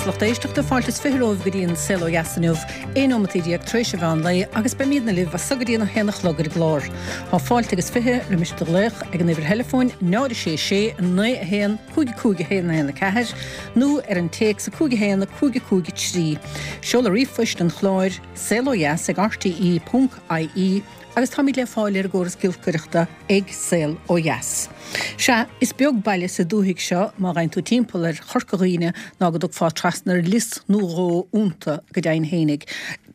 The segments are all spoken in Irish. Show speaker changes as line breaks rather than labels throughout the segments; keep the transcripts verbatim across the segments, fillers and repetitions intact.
Agus lucht éisteachta fáilte is fiche romhaibh go dtí an Saol Ó Dheas inniu, aon nóimeataí déag tar éis an mheán lae agus beimidne libh as so go dtí an haon a chlog ar an gclár. Tá fáilte agus fiche roimis do ghlaoch ag an uimhir theileafóin náid a sé sé naoi a haon cúig cúig a haon a haon a ceathair nó ar an téacs a cúig a haon a cúig a cúig a trí. Seoladh ríomhphoist an chláir saol ó dheas ag rte ponc ie agus táimid le fáil ar an gcóras giolcaireachta ag Saol Ó Dheas. Sea, is beag baile sa dúthaigh seo má ghabhann tú timpeall ar Chorca Dhuibhne ná go dtagfá trasna ar lios nó dhó iontu go deimhin fhéinig.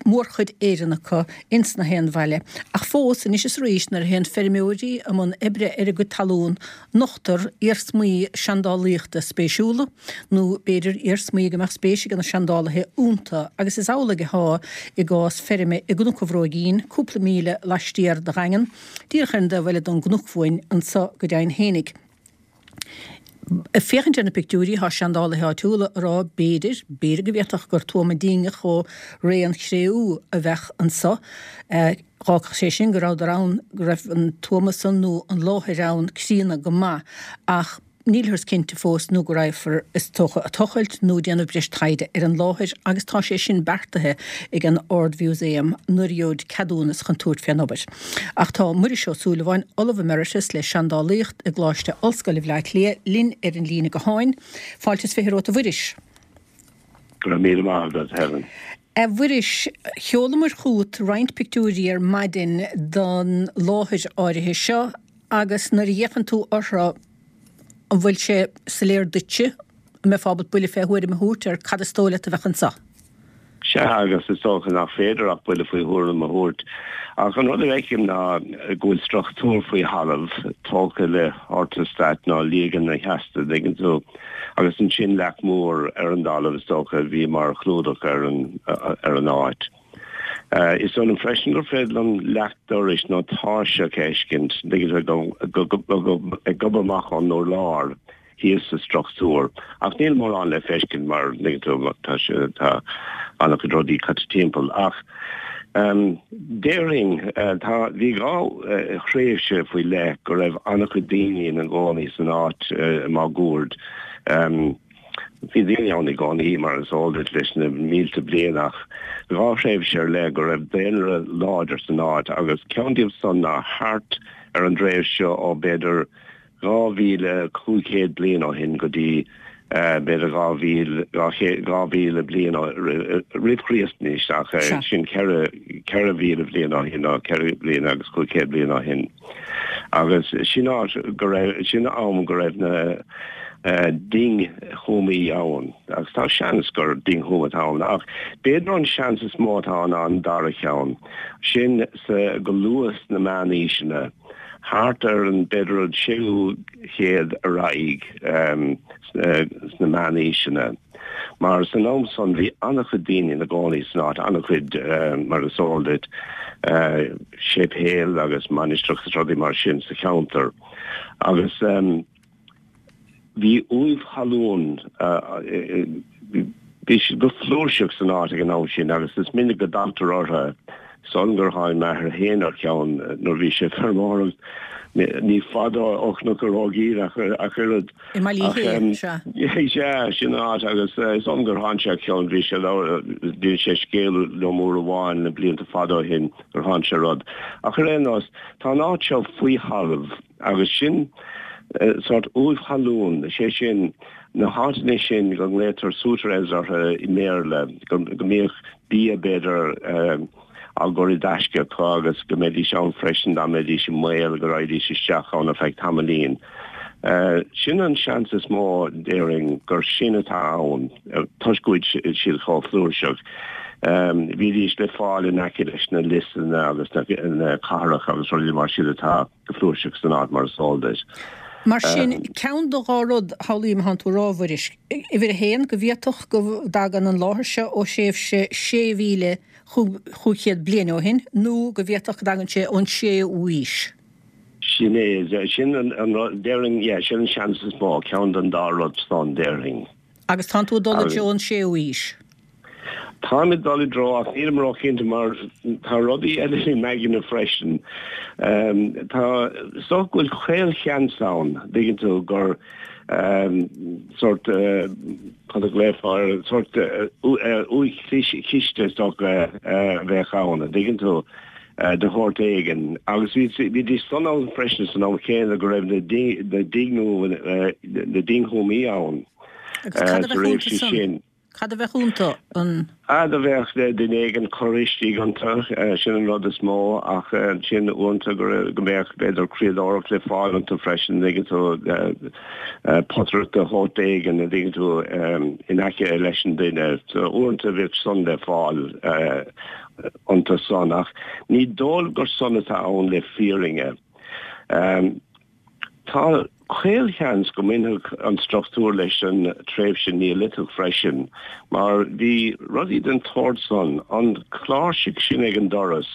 Mórchuid Éireannach acu ins na haon bhaile. Ach fós anois is arís nuair a théann feirmeoirí i mbun oibre ar a gcuid talún, nochtar iarsmaí seandálaíochta spéisiúla, nó b'fhéidir iarsmaí go mbeadh spéis ag na seandálaithe iontu, agus is amhlaidh atá i gcás feirme i gCnoc an Bhróigín, cúpla míle laistiar de Dhaingean, díreach ar an dtaobh eile den gcnoc uainn anso go deimhin fhéinig. Ag féachaint ar na pictiúirí, tá seandálaithe áitiúla ag rá b'fhéidir, b'fhéidir go bhféadfadh gur tuama dingeach ó ré an Chré-umha a bheadh anso. Dh'fhágfadh sé sin go rabhadar ann, go raibh an tuama san nó an láthair ann críonna go maith ach nílthear cinnte fós nó go raghfar, is dócha, ag tochailt nó déanamh breis taighde ar an láthair agus tá sé sin beartaithe ag an Ard-Mhúsaem nuair a gheobhaid ceadúnas chun tabhairt fén obair. Ach tá Muiris Ó Súilleabháin, Ollamh Emeritus le Seandálaíocht i gColáiste Ollscoile Bhaile Átha Cliath, linn ar an líne gutháin. Fáilte is fiche romhat a Mhuiris.
Go raibh míle maith agat, Helen.
A Mhuiris, sheolamar chugat roinnt pictiúirí ar maidin den láthair áirithe seo agus nuair a fhéachann tú orthu, an bhfuil sé soiléir duitse, an mbeifeá ábalta buille fé thuairim a thabhairt ar cad is dóigh leat a bheadh anseo?
Sea, agus is dócha nach féidir ach buille faoi thuairim a thabhairt. Ach an rud a fheicim ná go bhfuil struchtúr faoi thalamh, tógtha le hortastat nó liaganna sheasta, an dtuigeann tú, agus ansin leac mhór ar an dtalamh is dócha a bhí mar chlúdach ar an ar an áit. Is dóigh liom freisin gur féidir liom leac dorais nó tairseach a fheiscint, an dtuigeann tú, ag gobadh amach ón urlár thíos sa struchtúr. Ach níl mórán le feiscint mar, an dtuigeann tú, tá sé, tá an-chuid rudaí caite timpeall. Ach déarfainn, tá, bhí dhá thréimhse faoi leith go raibh an-chuid daoine ina gcónaí san áit máguaird. Bhí daoine ann i gcónaí, mar is eol duit, leis na mílte bliain ach dhá thréimhse ar leith go raibh daonra láidir san áit agus ceann díobh san ná thart ar an dtréimhse seo ó b'fhéidir dhá mhíle cúig chéad bliain ó shin go dtí b'fhéidir dhá mhíle dhá chéad dhá mhíle bliain ó roimh Chríost anois ach sin ceithre ceithre mhíle bliain ó shin nó ceithre bliana agus cúig chéad bliain ó shin. Agus sin áit go raibh, sin am go raibh na dingthuamaí ann. Agus tá seans gur dingthuama atá ann, ach b'fhéidir an seans is mó atá ann ná an dara cheann, sin sa, go luath sna meánaoiseanna, thart ar an, b'fhéidir an séú chéad ar aghaidh sna meánaoiseanna. Mar san am san bhí an-chuid daoine ina gcónaí san áit, an-chuid, mar is eol duit, séipéil agus mainistreacha agus rudaí mar sin sa cheantar. Agus bhí uaimh thalún, bhí siad go flúirseach san áit ag an am sin agus is minic go dtagtar orthu. Is dóigh liom gur tháinig m'athair féin ar cheann nuair a bhí sé ag feirmeoireacht, ní fada ó Chnoc an Bhróigín ach oiread.
I mBaile Uí Shé, sea.
Sea, sin an áit agus is dóigh liom gur tháinig sé ar cheann, bhí sé, d'inis sé scéal liom uair amháin na blianta fada ó shin gur tháinig sé ar rud. Ach ar aon nós, tá an áit seo faoi thalamh agus sin sórt uaimh thalún, is é sin na háiteanna sin go nglaotar souterrains orthu i mBéarla, go mbíodh bia b'fhéidir, á gcur i dtaisce acu agus go mbeidís ann freisin dá mbeidís i mbaol go raghaidís isteach ann ar feadh tamaillín. Sin an seans is mó, déarfainn, gur sin atá ann toisc go bhfuil siad chomh flúirseach. Bhídís le fáil in aice leis na liosanna agus na cathracha agus rudaí mar sin atá go flúirseach san áit mar is eol duit.
Mar sin, ceann de dhá rud a shamhlaím atánn tú a rá, a Mhuiris. Uimhir a haon, go bhféadfadh go dtagann an láthair seo ó thréimhse sé mhíle chúig chéad bliain ó shin, nó go bhféadfadh go dtagann sé ón séú haois.
Sin é, sin an rud, déarfainn, yeah, sin an seans is mó, ceann den dá rud san, déarfainn.
Agus tánn tú ag dul i dtreo an séú haois.
Táim ag dul i dtreo ach nílim róchinnte mar tá rudaí eile i m'aigne freisin. Tá is dócha go bhfuil caolsheans ann, dtuigeann tú, gur sórt, cad a ghlaofá air, sórt uaigh chiste is dócha a bheadh ann, dtuigeann tú, de shórt éigin. Agus bhídís san ann freisin san am chéanna go raibh na dingthuamaí ann
sa
réimse sin.
Cad a bheadh iontu? An.
Ah, do bheadh duine éigin curtha istigh iontu, sin an rud is mó, ach ansin uaireanta go go mbeadh b'fhéidir criadóireacht le fáil iontu freisin, an dtuigeann tú, potaireacht de shórt éigin, an dtuigeann tú, in aice leis an duine. So uaireanta bheadh san le fáil iontu san, ach ní dóigh gur san atá ann le fírinne. Tá caolsheans go mbainfeadh an struchtúr leis an tréimhse Neoiliteach freisin, mar bhí rudaí den tsórt san, an chláirseach sin ag an doras,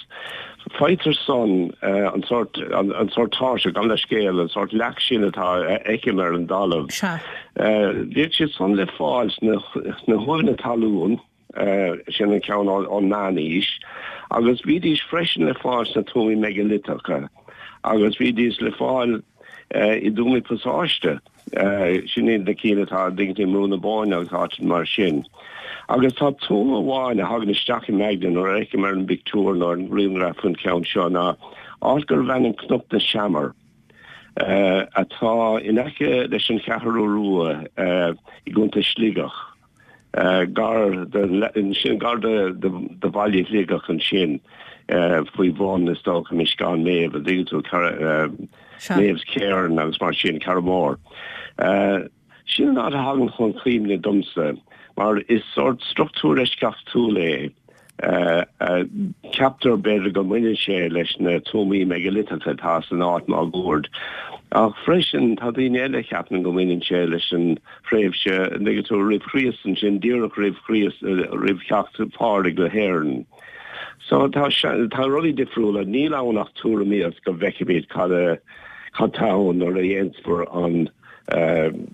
faightear san, an sórt, an sórt tairseach, gabh mo leithscéal, an sórt leac sin atá a fheicim ar an dtalamh. Bhíodh siad san le fáil sna huaimheanna talún. Sin an ceann ón Meánaois. Agus bhídís freisin le fáil sna tuamaí meigiliteacha agus bhídís le fáil i dtuamaí pasáiste. Sin iad na cinn atá i mBrú na Bóinne agus áiteanna mar sin. Agus tá tuama amháin a thagann isteach i m'aigne nuair a fheicim ar an bpictiúr nó ar an ngrianghraf an ceann seo ná áit gurbh ainm Cnoc na Seamar atá in aice leis an Cheathrú Rua i gContae Sligeach. Gar sin gar do bhaile Shligeach ansin faoi bhun is dócha Misceán Méabh an dtuigeann tú Méabh's Cairn agus mar sin Carrowmore. Sin an áit a thagann chun cuimhne domsa mar is sórt struchtúr eisceachtúil é. Ceaptar, b'fhéidir, go mbaineann sé leis na tuamaí meigiliteacha atá san áit máguaird, ach freisin tá daoine eile a cheapann go mbaineann sé leis an thréimhse, an dtuigeann tú, roimh Chríost ansin, díreach roimh Chríost, roimh theacht Phádraig go hÉirinn. So tá, tá rudaí difriúla, níl ann ach tuairimíocht go bhfeicfimid cad a, cad tá ann nuair a dhéanfar an an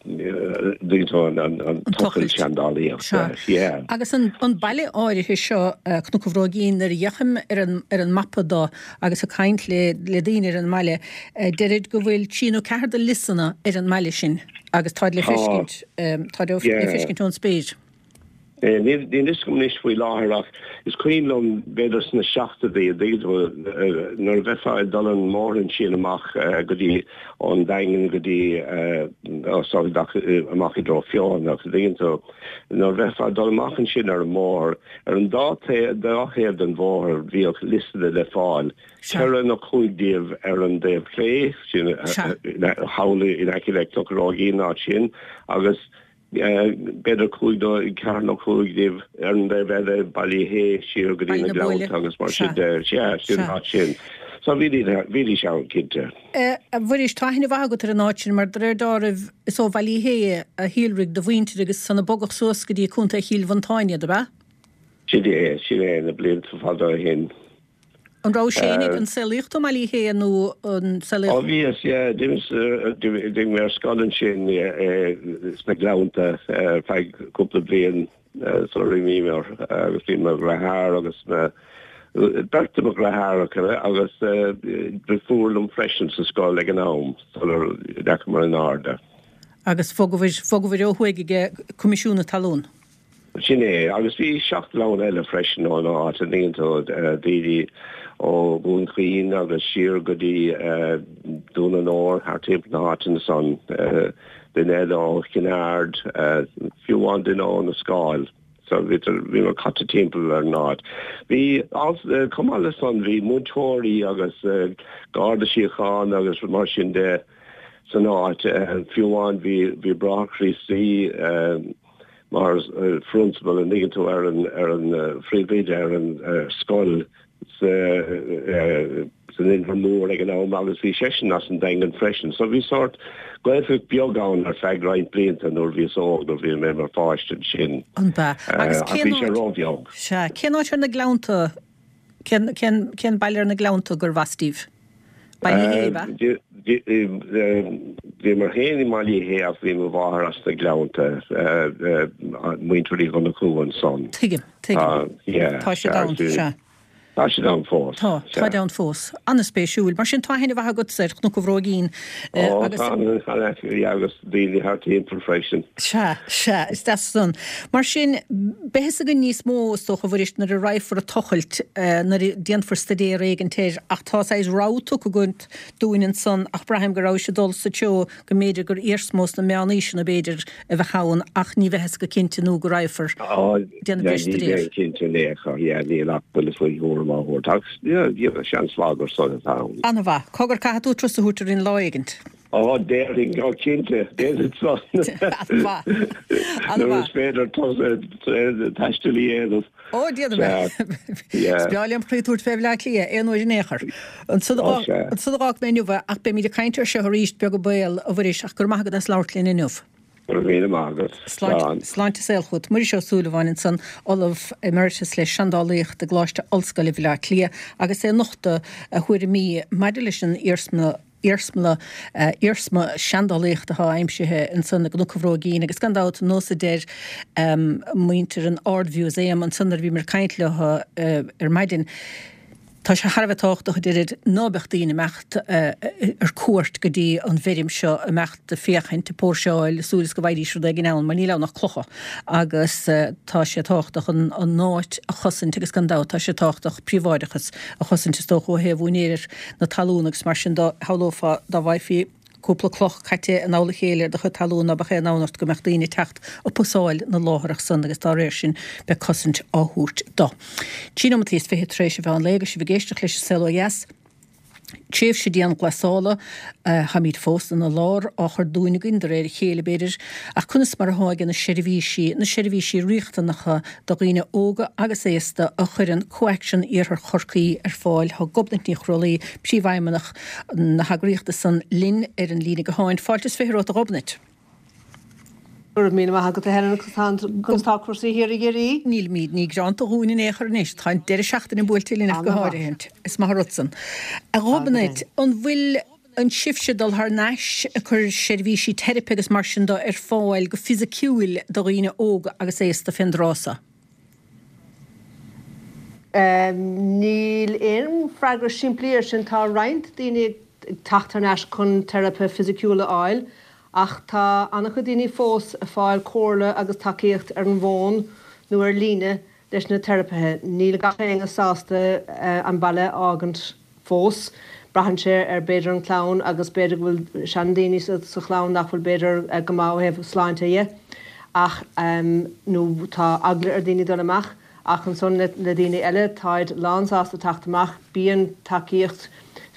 tochailt seandálaíochta.
Sea. Agus an baile áirithe seo, Cnoc an Bhróigín, nuair a fhéachaim ar an ar an mapa do agus ag caint le le daoine ar an mbaile, deirid go bhfuil trí nó ceathair de liosanna ar an mbaile sin agus táid le feiscint, táid le feiscint ón spéir.
Níl fhios agam anois faoi láthair ach is cuimhin liom b'fhéidir sna seachtóidí, an dtuigeann tú, nuair a bheifeá ag dul an mbóthar ansin amach go dtí ón Daingean go dtí amach i dtreo Feothanach, an dtuigeann tú, nuair a bheifeá ag dul amach ansin ar an mbóthar, ar an dá dá thaobh den bhóthar bhíodh liosanna le fáil, ceithre nó cúig díobh ar an dtaobh clé, sin thall in aice le Cnoc an Bhróigín an áit sin, agus b'fhéidir cúig nó ceathair nó cúig díobh ar an dtaobh eile, Baile Uí Shé siar go dtí na Gleannta agus mar sin de. Sea, sin an áit sin. So bhídís ann, cinnte.
A Mhuiris, tá aithne mhaith agat ar an áit sin mar de réir dealraimh is ó Bhaile Uí Shé a shíolraigh do mhuintir agus ansan a bogadh suas go dtí Contae Chill Mhantáin iad, ab ea?
Sin é, sin é, na blianta fada ó shin.
An rabhais féin an saolaíodh tú i mBaile Uí Shé nó an saolaíodh?
Ó bhíos, yeah, d'imigh mé ar scoil ansin sna Gleannta ar feadh cúpla bliain sular imíomar agus bhí mo dheartháir agus mo, beirt de mo dheartháireacha agus deirfiúr liom freisin sa scoil ag an am sular ndeachamar in airde.
Agus bhogabhair, bhogabhair ó thuaidh ag Coimisiún na Talún.
Sin é, agus bhí seacht gclann eile freisin ón áit, an dtuigeann tú, daoine ó Dhún Chaoin agus siar go dtí Dún an Óir, thart timpeall na háiteanna san, duine eile ó Chinn Aird, fiú amháin duine ó na Scáil. So bhíomar caite timpeall ar an áit. Bhí, chomh maith le san, bhí múinteoirí agus Garda Síochána agus mar sin de san áit, fiú amháin bhí Bráthair Críostaí, mar phrionsabal, an dtuigeann tú, ar an ar an phríomhoide ar an scoil sa san Inbhear Mór ag an am agus bhí seisean as an Daingean freisin. So bhí sórt Gaeltacht beag ann ar feadh roinnt blianta nuair bhíos óg, nuair bhí mé mar pháiste ansin.
An b'ea? Agus
Ach
cén
bhí sé
áit,
róbheag.
sea, cén áit ar na Gleannta, cén cén cén baile ar na Gleannta gurbh as daoibh? Baile Uí Shé, ab
ea? Bhíomar féin i mBaile Uí Shé ach bhí mo mháthair as na Gleannta, muintir Uí Dhonnchú ansan.
Tuigim, Tuigim. Tá siad ann, sea.
Tá siad ann fós.
Tá, táid ann fós. An-spéisiúil. Mar sin, tá aithne mhaith agatsa ar Chnoc an Bhróigín
agus. Ó, tá, tá, agus daoine thart timpeall freisin.
Sea, sea, is deas san. Mar sin, beidh fhios againn níos mó, is dócha, a Mhuiris, nuair a raghfar ag tochailt, nuair a déanfar staidéar éigint air, ach tá saghas rabhadh tugtha agat dúinn ansan ach braithim go rabhais ag dul sa treo go mb'fhéidir gur iarsma ós na meánaoiseanna b'fhéidir a bheadh ann ach ní bheidh fhios go cinnte nó go raghfar déanamh breis
Ní
staidéir.
bheidh cinnte in aon chor, yeah, níl ach buille faoi thuairim á thabhairt ach yeah, yeah, seans maith gur san atá ann.
An-mhaith. Cogar caithfidh tú turas a thabhairt orainn lá éigint.
Ó, déarfainn, ó cinnte, déanfainn san.
An-mhaith.
Nuair
An-mhaith.
is féidir turas taistil a dhéanamh.
Ó, déanfaidh mé.
Yeah.
Is breá liom croí a thabhairt fé Bhleá Cliath, aon uair in aon chor. Ansan
Ó, sea.
ansan a dh'fhág mé inniu é, ach beimid ag caint air seo arís beag an baol, a Mhuiris, ach go raibh maith agat as labhairt linn inniu.
Go raibh míle maith agat.
Sláinte,
Slán.
sláinte is saol chugat. Muiris Ó Súilleabháin ansan, Ollamh Emeritus le Seandálaíocht i gColáiste Ollscoile Bhaile Átha Cliath agus é ag nochtadh a thuairimí maidir leis an iarsma iarsma iarsma seandálaíochta atá aimsithe ansan i gCnoc an Bhróigín agus gan dabht nós a deir muintir an Ard-Mhúsaem ansan nuair a bhíomar ag caint leo ar maidin. Tá sé thar a bheith tábhachtach, a deirid, ná beadh daoine imeacht ar cuairt go dtí an bhfeirm seo, imeacht ag féachaint, ag póirseáil, súil is go bhfaighidís rud éigin ann, mar níl ann ach clocha agus tá sé tábhachtach an an áit a chosaint agus gan dabht tá sé tábhachtach príobháideachas a chosaint is dócha ó thaobh úinéir na talún agus mar sin de shamhlófá dá bhfaighfí cúpla cloch caite in dtoll a chéile ar do chuid talún ná beadh aon fhonn ort go mbeadh daoine ag teacht ag pusáil na láithreach san agus dá réir sin beidh cosaint á thabhairt do. Trí nóimeataí is fiche tar éis an mheán lae agus sibh ag éisteacht leis an Saol Ó Dheas. Tréimhse dianghlasála, táimid fós ina lár, á chur dúinn againn de réir a chéile, b'fhéidir, ach conas mar atá ag na seirbhísí, na seirbhísí riachtanacha do dhaoine óga agus aosta a chuireann CoAction Iarthar Chorcaí ar fáil? Tá Gobnait Ní Chrualaoi, Príomhfheidhmeannach na heagraíochta san, linn ar an líne gutháin. Fáilte is fiche romhat, a Ghobnait.
Go raibh míle maith agat a Helen agus conas tá cúrsaí thiar i gCiarraí?
Nílimid ní greanta dhúinn in aon chor anois, tá an deireadh seachtaine buailte linn ach go háirithe. Is maith an rud san. A Ghobnait, an bhfuil an sibhse ag dul thar n-ais ag cur seirbhísí teiripe agus mar sin de ar fáil go fisiciúil do dhaoine óga agus aosta fén dtráth so?
Níl aon freagra simplí air sin. Tá roinnt daoine ag teacht thar n-ais chun teiripe fisiciúil a fháil Ach tá an-chuid daoine fós ag fáil comhairle agus tacaíocht ar an bhfón nó ar líne leis na teiripithe. Níl gach éinne sásta an baile a fhágaint fós. Braitheann sé ar b'fhéidir an chlann agus b'fhéidir go bhfuil seandaoine sa chlann nach bhfuil b'fhéidir go maith ó thaobh sláinte dhe ach nó tá eagla ar daoine dul amach. Ach ansan le daoine eile táid lánsásta teacht amach. Bíonn tacaíocht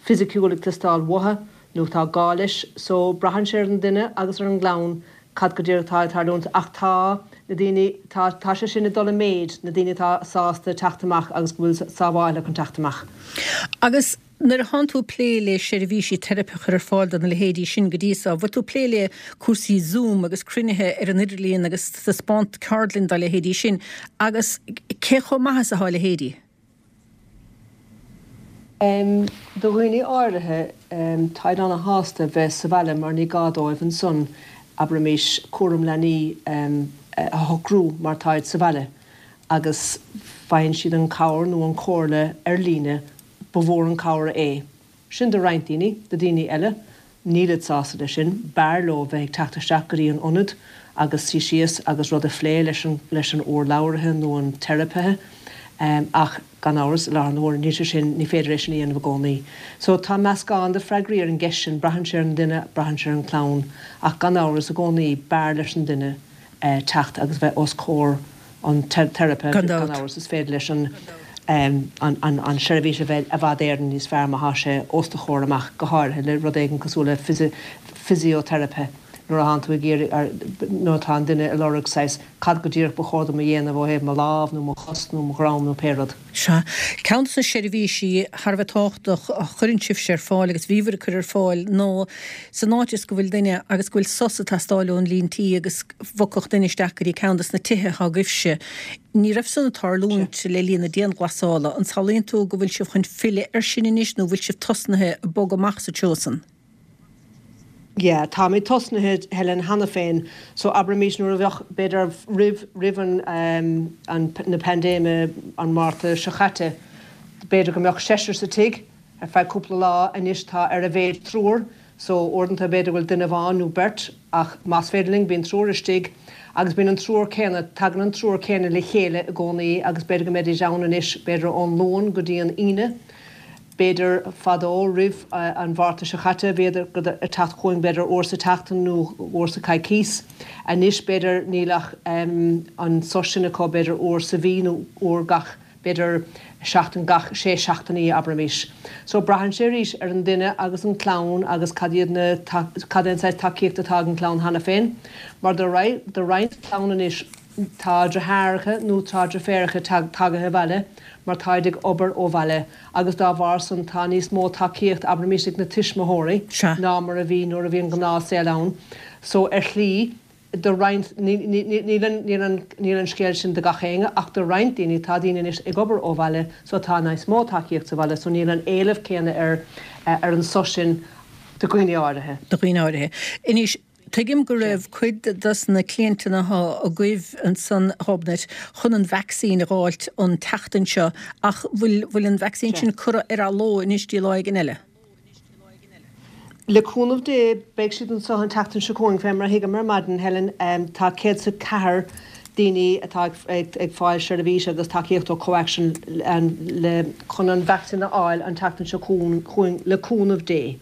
fisiciúil ag teastáil uathu. nó tá gá leis, so braitheann sé ar an duine agus ar an gclann cad go díreach atá ag tarlúint ach tá na daoine, tá, tá sé sin ag dul i méid, na daoine atá sásta teacht amach agus go bhfuil sábháilte chun teacht amach.
Agus nuair atánn tú ag plé le seirbhísí teiripe a chur ar fáil do na leithéidí sin go dtí so, bhfuil tú ag plé le cúrsaí Zoom agus cruinnithe ar an idirlíon agus taispeáint ceardlann dá leithéidí sin agus cé chomh maith is atá a leithéidí?
Do dhaoine áirithe, táid ana-shásta bheith sa bhaile mar ní gá dóibh ansan, abraimis, cúram leanaí a shocrú mar táid sa bhaile agus faigheann siad an cabhair nó an chomhairle ar líne, ba mhór an cabhair é sin do roinnt daoine. Do dhaoine eile, Nílid sásta leis sin. B'fhearr leo bheith ag teacht isteach go dtí an ionad agus suí síos agus rud a phlé leis an leis an urlabhraithe nó an teiripithe. Ach, gan amhras, i láthair na huaire, níl sé sin, ní féidir é sin a dhéanamh i gcónaí. So, tá meascán de freagraí ar an gceist sin, braitheann sé ar an duine, braitheann sé ar an chlann. Ach gan amhras, i gcónaí, b'fhearr leis an duine teacht agus bheith os comhair an teiripe,
Gan
gan
dabht.
amhras, is féidir leis an an seirbhís a bheith i bhfad Éireann níos fearr má thá sé os do chomhair amach, go háirithe le rud éigin cosúil le fisioteiripe nuair atánn tú ag iarraidh, nuair atá an duine ag lorg saghas cad go díreach ba chóir dom a dhéanamh ó thaobh mo lámh nó mo chos nó mo dhroim nó pé rud.
Sea. Ceann de na seirbhísí thar a bheith tábhachtach a chuireann sibhse ar fáil agus bhíobhair ag cur ar fáil ná san áit is go bhfuil duine agus go bhfuil sos ag teastáil ón líon tí agus bhogfadh duine isteach go dtí ceann de na tithe atá agaibhse. Ní raibh san ag tarlúint le linn na dianghlasála. An samhlaíonn tú go bhfuil sibh chun filleadh air sin anois nó bhfuil sibh tosnaithe ag bogadh amach sa treo san?
Yeah, táimid tosnaithe Helen cheana féin, so abraimis nuair a bheadh b'fhéidir roimh roimh an um, an na paindéime an Márta seo caite, b'fhéidir go mbeadh seisear sa tigh ar feadh cúpla lá anois tá ar a mhéad triúr, so uaireanta b'fhéidir bhfuil duine amháin nó beirt ach más féidir linn bíonn triúr istigh agus bíonn an triúr céanna tagann an triúr céanna le chéile i gcónaí agus b'fhéidir go mbeidís ann anois b'fhéidir ón Luan go dtí an Aoine. B'fhéidir fadó roimh an Mhárta seo caite bhíodar ag teacht chugainn b'fhéidir uair sa tseachtain nó uair sa coicís. Anois b'fhéidir níl ach an sos sin acu b'fhéidir uair sa mhí nó uair gach b'fhéidir seachtain gach sé seachtainí abraimis. So braitheann sé arís ar an duine agus an clann agus cad iad na cad é an saghas tacaíocht atá ag an clann cheana féin. Mar do do roinnt clann anois tá deartháireacha nó tá deirfiúracha tagaithe abhaile mar táid ag obair ó bhaile agus dá bharr san tá níos mó tacaíocht abraimis ag na tuismitheoirí ná mar a bhí nuair a bhí an gnáthshaol ann. So ar shlí do roinnt níl an níl an níl an scéal sin do gach éinne ach do roinnt daoine tá daoine anois ag obair ó bhaile so tá níos mó tacaíocht sa bhaile so níl an éileamh céanna ar ar an sos sin do dhaoine áirithe.
Do dhaoine áirithe. Anois tuigim go raibh cuid dos na cliainteanna atá agaibh ansan a Ghobnait chun an vacsaín a dh'fháilt an tseachtain seo ach bhfuil bhfuil an vacsaín sin curtha ar athló anois dtí lá éigin eile?
Le cúnamh Dé beidh siad anseo an tseachtain seo chugainn, fé mar a thuigim ar maidin, Helen. Tá céad is a ceathair daoine atá ag fáil seirbhís agus tacaíocht ó CoAction le chun an vacsaín a fháil an tseachtain seo chugainn le cúnamh Dé.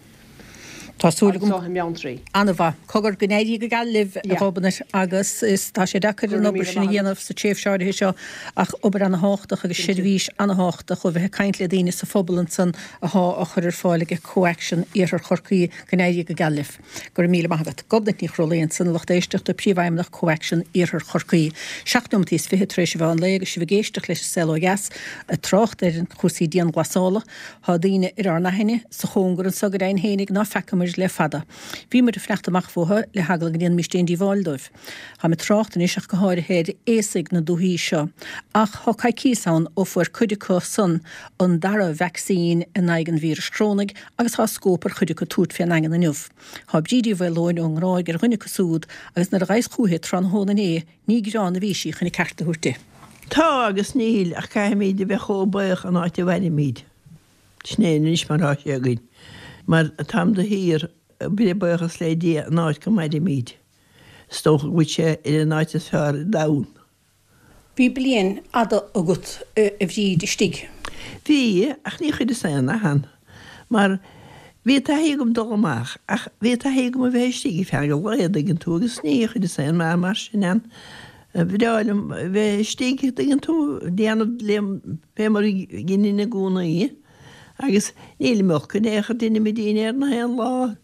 Tá súil agam.
Anseo i mBeanntraí.
An-mhaith. Cogar, go n-éirí go geal libh, a Ghobnait, agus is tá sé deacair an obair sin a dhéanamh sa tréimhse áirithe seo ach obair ana-thábhachtach agus seirbhís ana-thábhachtach ó bheith ag caint le daoine sa phobal ansan athá á chur ar fáil ag CoAction Iarthar Chorcaí. Go n-éirí go geal libh. Go raibh míle maith agat. Gobnait Ní Chrólaí ansan, a lucht éisteachta, Príomhfheidhmeannach CoAction Iarthar Chorcaí. Seacht nóimeataí is fiche tar éis a mheán lae agus sibh ag éisteacht leis an Saol Ó Dheas ag trácht ar chúrsaí dianghlasála. Thá daoine ar ár n-aithne sa chóngar anso go deimhin fhéinig ná feacamair le fada. Bhí muid ag fanacht amach fúthu le heagla go ndéanfaimis aon díobháil dóibh. Táim ag trácht anois ach go háirithe ar aosaigh na dúthaí seo. Ach thá coicíos ann ó fuair cuid acu san an dara vacsaín in aghaidh an víris chrónaigh agus thá scóip ar chuid acu tabhairt fén ndaingean inniu. Thá Bríd Uí Mhaoileoin ón nGráig ar dhuine acu súd agus nuair a ghabhas chúithi tráthnóna inné ní gearán a bhí sí chun a ceart a thabhairt di.
Tá agus níl, ach caithfimid a bheith chomh buíoch an áit a mhairimid. Sin é anois mar atá sé againn. Mar táim de shíor ag breith buíochas le Dia an áit go mairimid. Is dócha go bhfuil sé ar an áit is fearr ar domhan.
Bhí bliain fhada agat, a Bhríd, istigh.
Bhí, ach ní chuireas aon nath ann, mar bhí taithí agam dul amach, ach bhí taithí agam a bheith istigh ar feadh a lae, an dtuigeann tú, agus ní chuireas aon nath mar sin ann. Ba bhreá liom a bheith istigh, an dtuigeann tú, déanamh liom fé mar a dheininn i gcónaí, agus nílim olc in aon chor, deinimid dinnéar na haon lá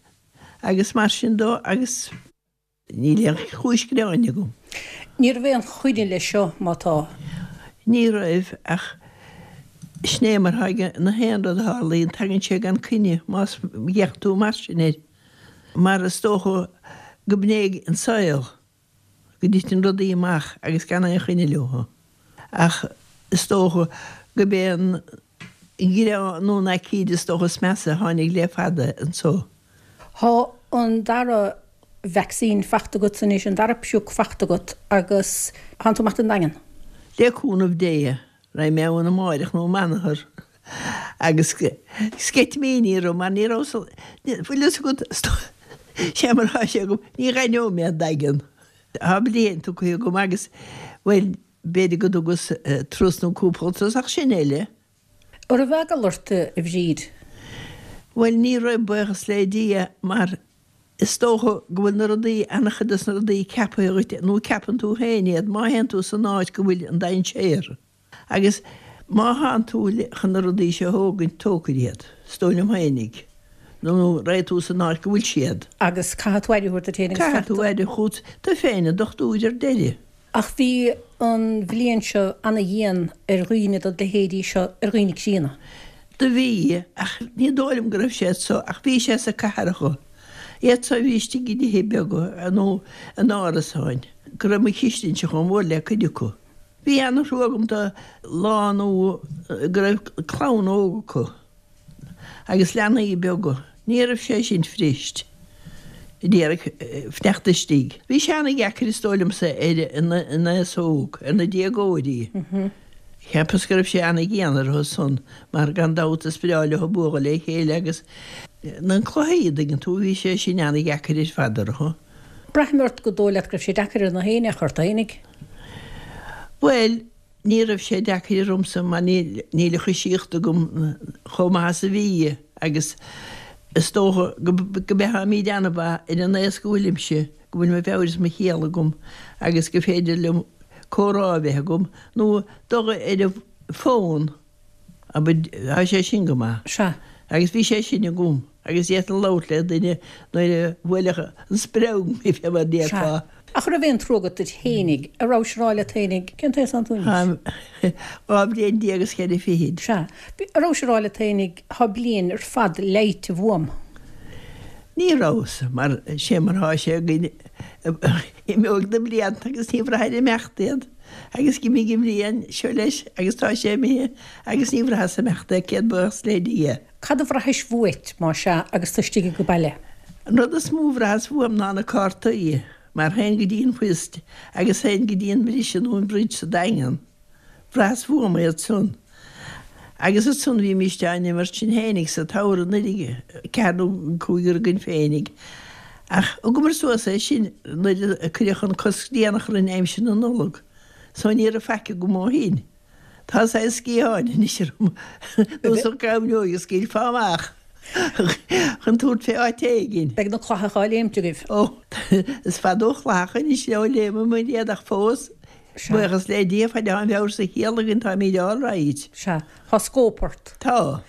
agus mar sin dó, agus. Níl aon chúis gearáin agam.
Ní raibh aon choinne leis seo, má tá.
Ní raibh, ach sin é mar atá ag na haon rud a tharlaíonn, tagann sé gan coinne, más bhféachann tú mar sin air. Mar is dócha go b'in é an saol, go dtiteann rudaí amach agus gan aon choinne leo. Ach is dócha go b'é an gearán nó an aicíd is dócha is measa a tháinig le fada anso.
Thá an dara vacsaín fachta agat anois, an dara pioc fachta agat agus thánn tú amach don Daingean.
Le cúnamh Dé, raghaidh mé ann amáireach nó amanathar agus sceitimíní orm mar ní raibh, bhfuil fhios agat, sé mar atá sé agam, ní dh'aithneoidh mé an Daingean. Tá bliain tugtha agam agus, bhuel, b'fhéidir go dtugas turas nó cúpla turas ach sin uile.
An raibh eagla ort, a Bhríd?
Bhuel, ní raibh, buíochas le Dia, mar is dócha go bhfuil na rudaí, an-chuid des na rudaí ceaptha dhuit, nó ceapann tú féin iad, má théann tú san áit go bhfuil an dainséar. Agus má thánn tú chun na rudaí seo a thógaint, tógfair iad, is dóigh liom féinig, nó raghaidh tú san áit go bhfuil siad.
Agus caithfidh tú aire a thabhairt duit féin agus
Caithfidh tú aire a thabhairt duit féin, an dochtúir ar deireadh.
Ach bhí an bhliain seo ana-dhian ar dhaoine de do leithéidí seo, ar dhaoine críonna.
Do bhí, ach ní dóigh liom go raibh sé so, ach bhí sé sa cathracha. Iad so a bhí istigh i dtithe beaga nó in árasáin, go raibh mo chistinse chomh mór le cuid acu. Bhí ana-thrua agam do lánú go raibh clann óg acu agus leanaí beaga. Ní raibh sé sin fuirist. d'iarraidh fanacht istigh. Bhí sé ana-dheacair is dóigh liomsa ar an aos óg, ar na déagóirí. Cheapas go raibh sé ana-dhian orthu san mar gan dabht is breá leo bualadh le chéile agus na cluichí, an dtuigeann tú, bhí sé sin ana-dheacair ar fad orthu.
Braithim ort gur dóigh leat go raibh sé deacair ar na héinne ach ort fhéinig.
Bhuel, ní raibh sé deacair ormsa mar níl níl an choisíocht agam chomh maith is a bhí agus is dócha go mbeimid an-mhaith ar an aos go bhfuilimse, go bhfuil mo mheabhair is mo chiall agam agus go féidir liom comhrá a bheith agam nó dul ar an bhfón, abair, tá sé sin go maith.
Sea.
Agus bhí sé sin agam agus d'fhéadfainn labhairt le duine nuair a bhuailfeadh an spreog mé, fé mar a déarfá.
Sea. Ach an raibh aon trua agat duit fhéinig? A rabhais ag rá leat fhéinig, cén t-aos atánn tú anois?
Táim dhá bhliain déag is ceithre fichid.
Sea. A rabhais ag rá leat fhéinig, thá bliain ar fad leighte uaim.
Ní rabhas, mar sé mar thá sé againn, imeoidh na blianta agus ní bhraithfir imeacht iad, agus d'imigh an bhliain seo leis agus tá sé imithe agus ní bhraitheas imeacht é, céad buíochas le Dia.
Cad a bhraithis uait, má sea, agus tú istigh age baile?
An rud is mó a bhraitheas uaim ná na cártaí, mar théinn go dtí an whist agus théinn go dtí an briseadh nó an bridge sa Daingean. Bhraitheas uaim iad san. Agus ansan bhímíst á n-imirt sinn fhéinig sa tsamhradh nuair ceathair nó cúigear againn féinig. Ach thugamar suas é sin nuair a cuireadh an cosc déanach orainn aimsir na Nollag. So ní raibh faic agam ó shin. Tá saghas sciatháin anois orm, nós an ghaibhneoig a scaoilfeá amach chun tabhairt fé áit éigin.
Beidh na clathacha á léimt agaibh.
Ó, is fada ó chlathacha anois ó léimeamar iad ach fós, buíochas le Dia, fad atá an mheabhair 's an chiall againn táimíd all right.
Sea, tá scóip ort.
Tá.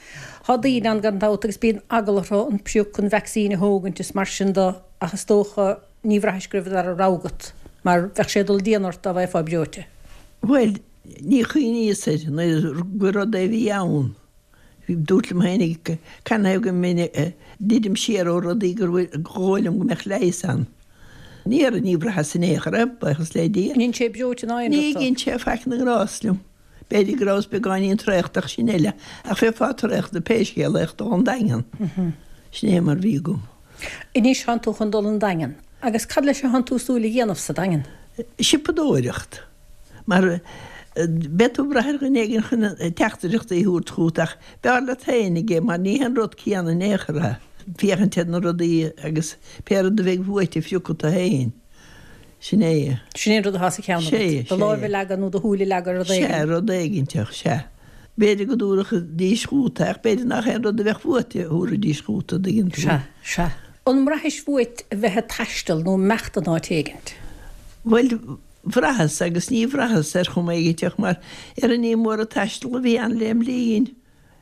Tá daoine ann gan dabht agus bíonn eagla orthu an pioc, an vacsaín a thógaint is mar sin de ach is dócha ní bhraithis go raibh an dara rogha agat mar bheadh sé ag dul dian ort dá bhfaighfeá breoite.
Bhuel, ní chuimhníos air nuair gur rud é a bhí ann. Dúrt liom féinig canathaobh go mbeinn ag druidim siar ó rudaí gur dhóigh liom go mbeadh leigheas ann. Ní raibh, ní bhraitheas in aon chor é, buíochas le Dia.
An dhein sé breoite ná aon
Ní
rud dó?
dhein sé faic na ngrást liom. B'fhéidir go rabhas beagáinín traochta ach sin eile. Ach bheifeá traochta pé scéal é ach dul 'on Daingean. Sin é mar bhí agam.
Anois thánn tú chun dul 'on Daingean. Agus cad leis a thánn tú súil a dhéanamh sa Daingean?
Siopadóireacht. Mar beidh tú ag brath ar dhuine éigin chun teachtaireachtaí a thabhairt chugat ach b'fhearr leat féinig é mar ní haon rud céanna in aon chor é féachaint ar na rudaí agus pé rud a bheidh uait a phiocadh tú féin. Sin é.
Sin é an rud atá sa cheann agat.
Sé,
Do
sé.
láimh a leagadh nó do shúil a leagadh ar rud
Sea,
éigin.
rud éiginteach, sea. B'fhéidir go dtabharfaidís chugat é ach b'fhéidir nach aon rud a bheadh uait a thabharfaidís chugat, an dtuigeann tú.
Sea, sea. An mbraithis uait a bheith ag taisteal nó imeacht in áit éigint?
Bhuel, bhraitheas agus ní bhraitheas ar chuma éiginteach mar ar ní mór an taisteal a bhí ann lem linn.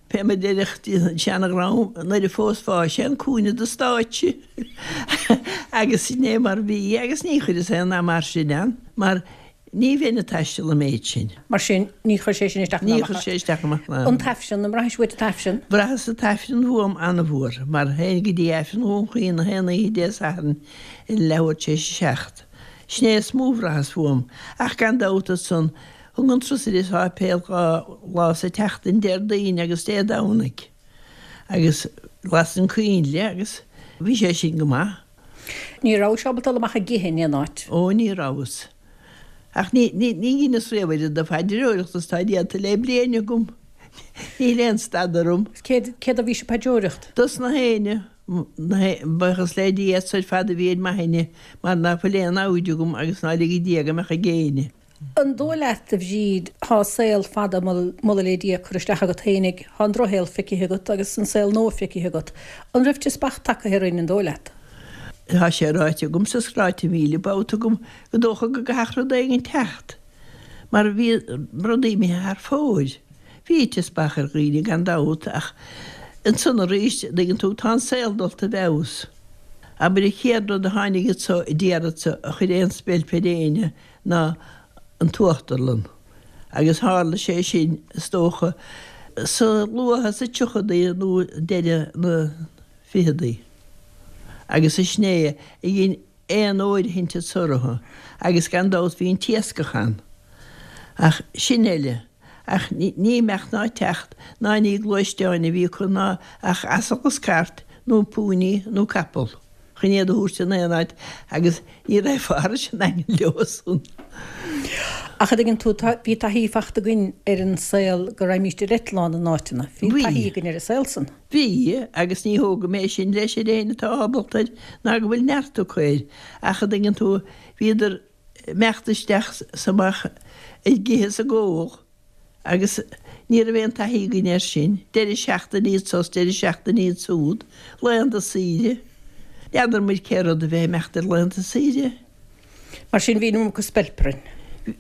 Fé mar a deireadh an seana-dhream nuair a phósfá sé an cúinne de stáitse agus sin é mar bhí agus ní chuireas aon nath mar sin ann mar ní bheinn ag taisteal an méid sin.
Mar sin, ní chuir sé sin isteach
Ní chuir sé isteach amach ná.
An tAifreann, an mbraithis uait an tAifreann?
Bhraitheas an tAifreann uaim an-mhór mar théinn go dtí Aifreann Dhún Chaoin na haon oíche Dé Sathairn i leathuair tar éis a seacht. Sin é is mó a bhraitheas uaim ach gan dabht ansan thug an trusaire sáipéal dhá lá sa tseachtain Déardaoin agus Dé Domhnaigh agus lasann coinnle agus bhí sé sin go maith.
Ní rabhais ábalta dul amach ag ithe in aon áit?
Ó ní rabhas. Ach ní ní ní dheineas riamh oiread de phaidreoireacht is tá déanta le bliain agam. Níl aon stad orm.
Céard céard a bhís ag paidreoireacht?
Dos na héinne, na hé buíochas le Dia as ar fad a bhí ar m'aithne mar ná fuil aon namhaid agam agus ná lige Dia go mbeadh ag éinne.
An dóigh leat, a Bhríd, thá saol fada, moladh le Dia, curtha isteach agat fhéinig, thá an drochshaol feicithe agat agus an saol nua feicithe agat. An raibh teaspach tagtha orainn, an dóigh leat?
Tá sé ráite agamsa is ráite míle babhta agam go dócha go gcaithfeadh rud éigin teacht, mar bhí rudaí imithe thar fóir. Bhí teaspach ar dhaoine gan dabht ach ansan arís, an dtuigeann tú, tá an saol dulta i bhfeabhas. Abair an chéad rud a tháinig anso i dtír anso a chuir aon speilp ar éinne ná an t-uachtarlann. Agus tharla sé sin, is dócha, sa luath sa tríochadaí nó deireadh na ficheadaí. Agus sin é a dhein aon fhóirithint anso orthu agus gan dabht bhí an t-iascach ann. Ach sin eile. Ach ní imeacht ná teacht ná ní gluaisteáin a bhí acu ná ach asal is cairt nó púiní nó capall. chun iad a thabhairt in aon áit agus ní raibh thairis an nDaingean leo san.
Ach a dtuigeann tú, tá, bhí taithí fachta againn ar an saol go raghaimíst ar eitleán in áiteanna. Bhí
Bhí.
taithí againn ar an saol san.
Bhí, agus ní thógaim é sin leis ar éinne atá ábalta air ná go bhfuil neart acu air, ach a dtuigeann tú, bhíodar imeacht isteach 's amach ag ithe 's ag ól agus ní raibh aon taithí againn air sin, deireadh seachtaine anso 's deireadh seachtaine ansúd, laethanta saoire. N'fheadar muid cé rud a bheith imeacht ar laethanta saoire.
Mar sin bhí an iomarca speilp orainn.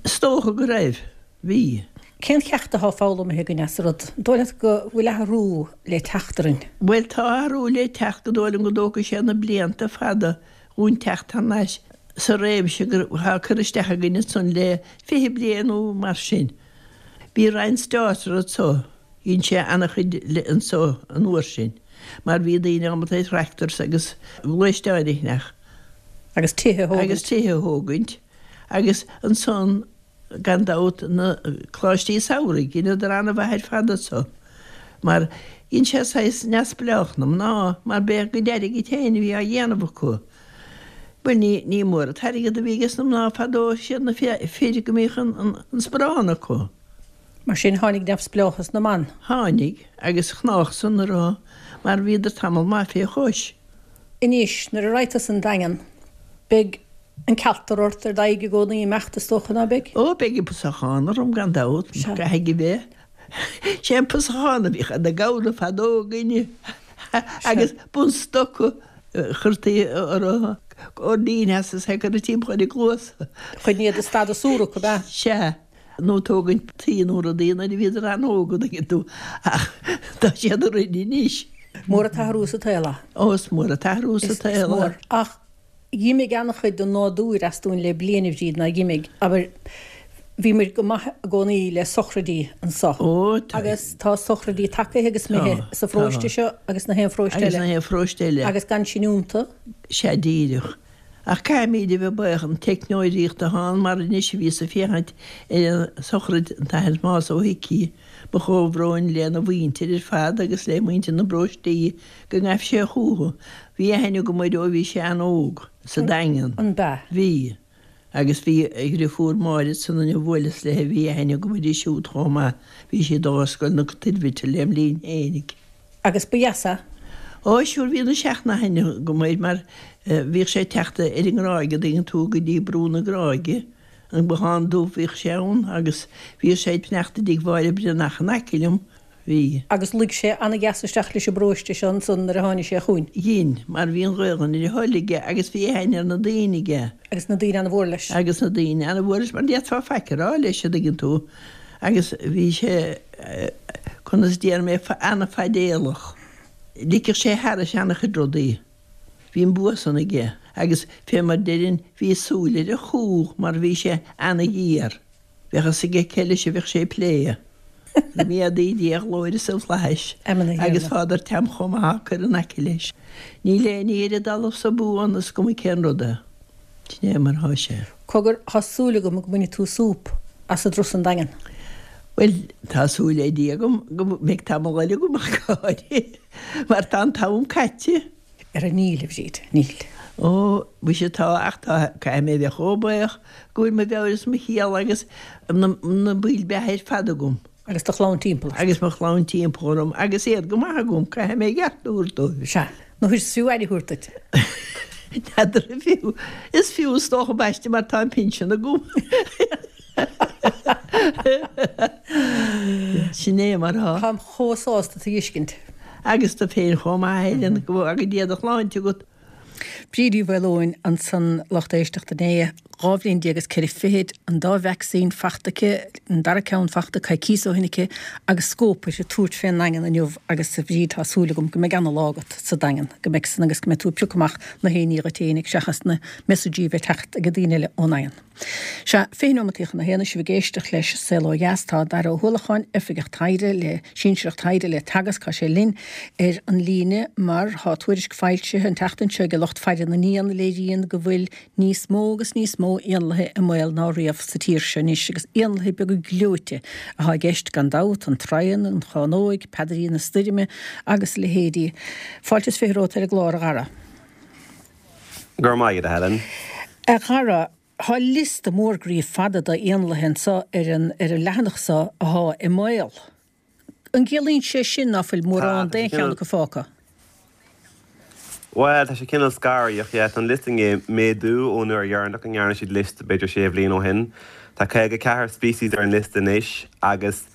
Is dócha go raibh. Bhí.
Cén cheacht atá foghlamtha againn as an rud? An dóigh leat go bhfuil athrú le teacht orainn?
Bhuel tá athrú le teacht go dóigh liom go dtógfaidh sé na blianta fada dhúinn teacht thar n-ais sa réimse go thá cur isteach againn ansan le fiche bliain nó mar sin. Bhí Ryan Starter anso, dhein sé ana-chuid le anso an uair sin, mar bhí daoine ábalta ar tractors agus gluaisteáin a cheannach.
Agus tithe a thógaint.
Agus tithe a thógaint. Agus ansan, gan dabht, na coláistí samhraidh, dheineadar ana-mhaith ar fad anso, mar dhein sé saghas neamhspleách na mná, mar b'é a gcuid airgid féin a bhí á dhéanamh acu. Bhuel, ní, ní mór an t-airgead a bhí ages na mná fadó, siad na fir go mbíodh an, an, an sparán acu.
Mar sin, tháinig neamhspleáchas na mban.
Tháinig, agus chnách san a rá, mar bhíodar tamall maith fé chois.
Anois, nuair a raghaidh tusa an Daingean, beidh an cealtar ort ar d'aghaidh i gcónaí imeacht, is dócha, ná beidh?
Ó, beidh an pusachán orm, gan dabht,
Sea.
caithfidh a bheith. Sé an pusachán a bhíodh ar na gabhra fadó againne, agus bunstoca a chuirtí orthu, oirnín as is é curtha timpeall ar a gcluasa.
Chun iad a stadadh súrach, ab ea?
Sea. Nó tógaint tuí nó rudaí nuair a bhíodar an-óg, an dtuigeann tú, ach tá siad orainn anois.
Mór an t-athrú sa tsaol é.
Ó, is mór an t-athrú sa
Is
tsaol é.
mór. Ach dh'imigh an-chuid den nádúr as dúinn le bliain, a Bhríd, ná dh'imigh, abair, bhí muid go maith i gcónaí le sochraidí anso.
Ó, tá.
Agus tá sochraidí tagaithe agus imithe
Tá,
sa pharóiste
tá.
seo agus na haon pharóiste
Agus
eile.
na haon pharóiste eile.
Agus gan sin iontu.
Sea, díreach. Ach caithfimid a bheith buíoch an teicneolaíocht atá ann mar anois a bhíos ag féachaint ar an sochraid an tAthair Tomás Ó hIcí, mo chomhbhrón lena mhuintir ar fad agus le muintir na bparóistí go ngaibh sé chucu. Bhí aithne agam air ó bhí sé an-óg, sa Daingean.
An b'ea?
Bhí. Agus bhí a dhriofúr Máire ansan a bhuaileas léi, bhí aithne agam uirthi siúd chomh maith, bhí sí ag dul ar scoil na Toirbhirte lem linn fhéinig.
Agus ba dheas é.
Ó, sure, bhí an sean-aithne agam air mar bhíodh sé ag teacht ar an nGráig, an dtuigeann tú, go dtí Brú na Gráige, an Bothán Dubh, bhíodh sé ann agus bhíodh sé ag fanacht i dtigh Mháire Breathnach in aice liom, bhí.
Agus luigh sé ana-dheas isteach leis an bparóiste seo ansan nuair a tháinig sé chugainn.
Dhein, mar bhí an Ghaelainn ar a thoil aige agus bhí aithne ar na daoine aige.
Agus na daoine ana-mhór leis.
Agus na daoine ana-mhór leis, mar ní fhéadfá faic a rá leis, an dtuigeann tú, agus bhí sé, conas déarfaidh mé, ana-fhaidéalach. Ligfeadh sé thairis ana-chuid rudaí. Bhí an bua san aige agus, fé mar deirinn, bhí súil ar a chú mar bhí sé ana-ghéar. Bheadh fhios aige cé leis a bheadh sé ag plé. Go méadaí Dia a ghlóire sna flaithis agus Father Tom chomh maith á cur in aice leis. Níl aon ní ar an dtalamh so buan, is cuma cén rud é. Sin é mar thá sé.
Cogar, thá súil agam go mbainfidh tú súp as i dturas an Daingean.
Bhuel, tá súil le Dia agam go mbeidh tamall eile agam ach go háirithe, mar tá an t-am caite.
Ara níl, a Bhríd, níl.
Ó, muise tá, ach tá, caithfidh mé a bheith chomh buíoch go bhfuil mo mheabhair is mo chiall agus na baill beatha ar fad agam.
Agus do chlann timpeall ort.
Agus mo chlann timpeall orm agus iad go maith agam, caithfidh mé a gceart a thabhairt dóibh.
Sea. Nó is fiú aire a thabhairt duit.
N'fheadar an fiú. Is fiú is dócha ambaiste mar tá an pinsean agam. Sin é mar atá.
Táim chomh sásta tú a fheiscint.
Agus tú féin chomh maith, a Helen, go bhfága Dia do shláinte agat.
Bríd Uí Mhaoileoin ansan, lucht éisteachta inné, dhá bhliain déag is ceithre fichid, an dá vacsaín fachta aici, an dara ceann fachta coicíos ó shin aici, agus scóip uirthi tabhairt fén nDaingean inniu agus a Bhríd tá súil agam go mbeidh ana-lá agat sa Daingean, go mbeidh san agus go mbeidh tú ag piocadh amach na héinní dhuit fhéinig seachas na messageí a bheith ag teacht ag daoine eile ón nDaingean. Sea, fiche nóimeataí chun a haon, sibh ag éisteacht leis Saol Ó Dheas. Tá Dara Ó hUallacháin, Oifigeach Taighde le, Sinsearach Taighde le Teagasc, tá sé linn ar an líne mar tá tuairisc foilsithe an tseachtain seo ag lucht faire na n-éan a léiríonn go bhfuil níos mó agus níos mó éanlaithe i mbaol ná riamh sa tír seo anois agus éanlaithe beaga gleoite atá i gceist gan dabht, an traighean, an chánóig, peadairín na stoirme agus a leithéidí. Fáilte is fiche romhat ar an gclár, a Dhara.
Go raibh maith agat, a Helen.
A Dhara, tá liosta mór groí fada d'éanlaithe anseo ar an ar an leathanach seo athá i mbaol. An gciallaíonn sé sin ná fuil mórán d'aon cheann acu fágtha?
Bhuel, tá sé cineál scanraitheach, yeah. Tá an liosta i ndiaidh méadú ón uair dheireanach a ndearna siad liosta, b'fhéidir sé bhliain ó shin. Tá caoga ceathair species ar an liosta anois agus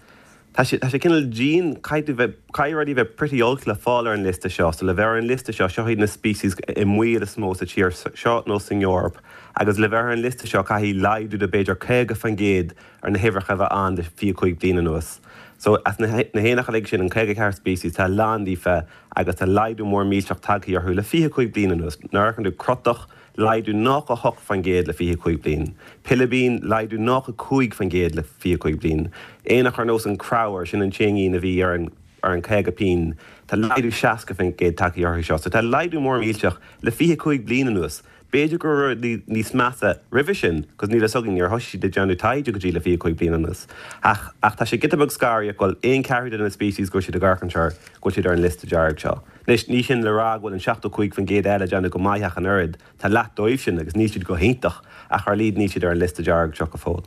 tá sé, tá sé cineál dian, caithfidh tú bheith, caithfidh rudaí bheith pretty olc le fáil ar an liosta seo. So le bheith ar an liosta seo, seo iad na species i mbaol is mó sa tír seo nó san Eoraip agus le bheith ar an liosta seo caithfidh laghdú de b'fhéidir caoga faoin gcéad ar na huimhreacha a bheith ann le fiche cúig bliain anuas. So as na héanacha uilig sin, an caoga ceathair species, tá a lán díofa agus tá laghdú mór millteach tagtha orthu le fiche cúig bliain anuas. Nuair a amharcann tú crotach, laghdú nócha hocht faoin gcéad le fiche cúig bliain. Pilibín, laghdú nócha cúig faoin gcéad le fiche cúig bliain. Éanach ar nós an creabhar, sin an t-éinín a bhí ar an ar an caoga pingin, tá laghdú seasca faoin gcéad tagtha orthu seo. So tá laghdú mór millteach le fiche cúig bliain anuas. B'fhéidir go raibh rudaí níos measa roimhe sin, cos níl fhios againn, níor thosaigh siad ag déanamh taighde go dtí le fiche cúig bliain anuas. Ach, ach tá sé giota beag scanraitheach go bhfuil aon cheathrú de na species go bhfuil siad ag amharc anseo, go bhfuil siad ar an liosta dearg seo. Anois, ní sin le rá go bhfuil an seachtó cúig faoin gcéad eile ag déanamh go maith ach an oiread. Tá leath dóibh sin agus níl siad go hiontach, ach ar a laghad níl siad ar an liosta dearg seo go fóill.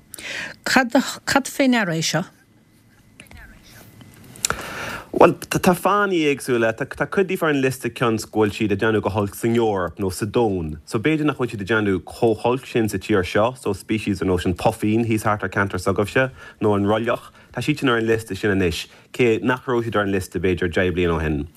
Cad, cad fé ndeara é seo?
Bhuel, tá fáthanna éagsúla. Tá cuid díobh ar an liosta cionn 's go bhfuil siad ag déanamh go holc san Eoraip nó sa domhan. So b'fhéidir nach bhfuil siad ag déanamh chomh holc sin sa tír seo. So species ar nós an puifín thíos thart ar ceantar s'agaibhse nó an roilleach, tá siad sin ar an liosta sin anois, cé nach raibh siad ar an liosta b'fhéidir deich bliain ó shin.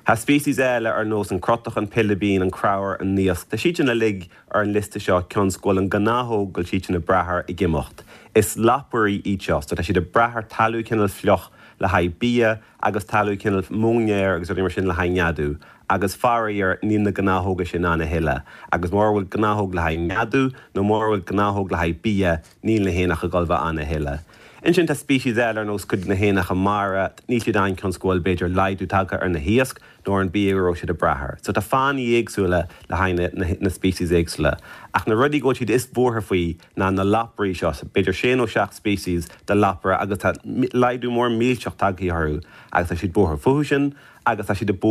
Tá species eile ar nós an crotach, an pilibín, an creabhar, an naosc, tá siad sin uilig ar an liosta seo cionn 's go bhfuil an gnáthóg go bhfuil siad sin ag brath air ag imeacht. Is lapairí iad seo, so tá siad ag brath ar talamh cineál fliuch le haghaidh bia agus talamh cineál móinéir agus rudaí mar sin le haghaidh neadú agus faraor níl na gnáthóga sin ann a thuilleadh agus mura bhfuil gnáthóg le haghaidh neadú nó mura bhfuil gnáthóg le haghaidh bia níl na héanacha ag dul bheith ann a thuilleadh. Ansin tá species eile ar nós cuid de na héanacha mara, níl siad ann cionn 's go bhfuil b'fhéidir laghdú tagtha ar na hiasc nó ar an bia go raibh siad ag brath air. So tá fáthanna éagsúla le haghaidh na na species éagsúla. Ach na rudaí go bhfuil siad is buartha faoi ná na lapairí seo, b'fhéidir sé nó seacht species de lapaire agus tá laghdú mór millteach tagtha orthu agus tá siad buartha fúthu sin agus tá siad ag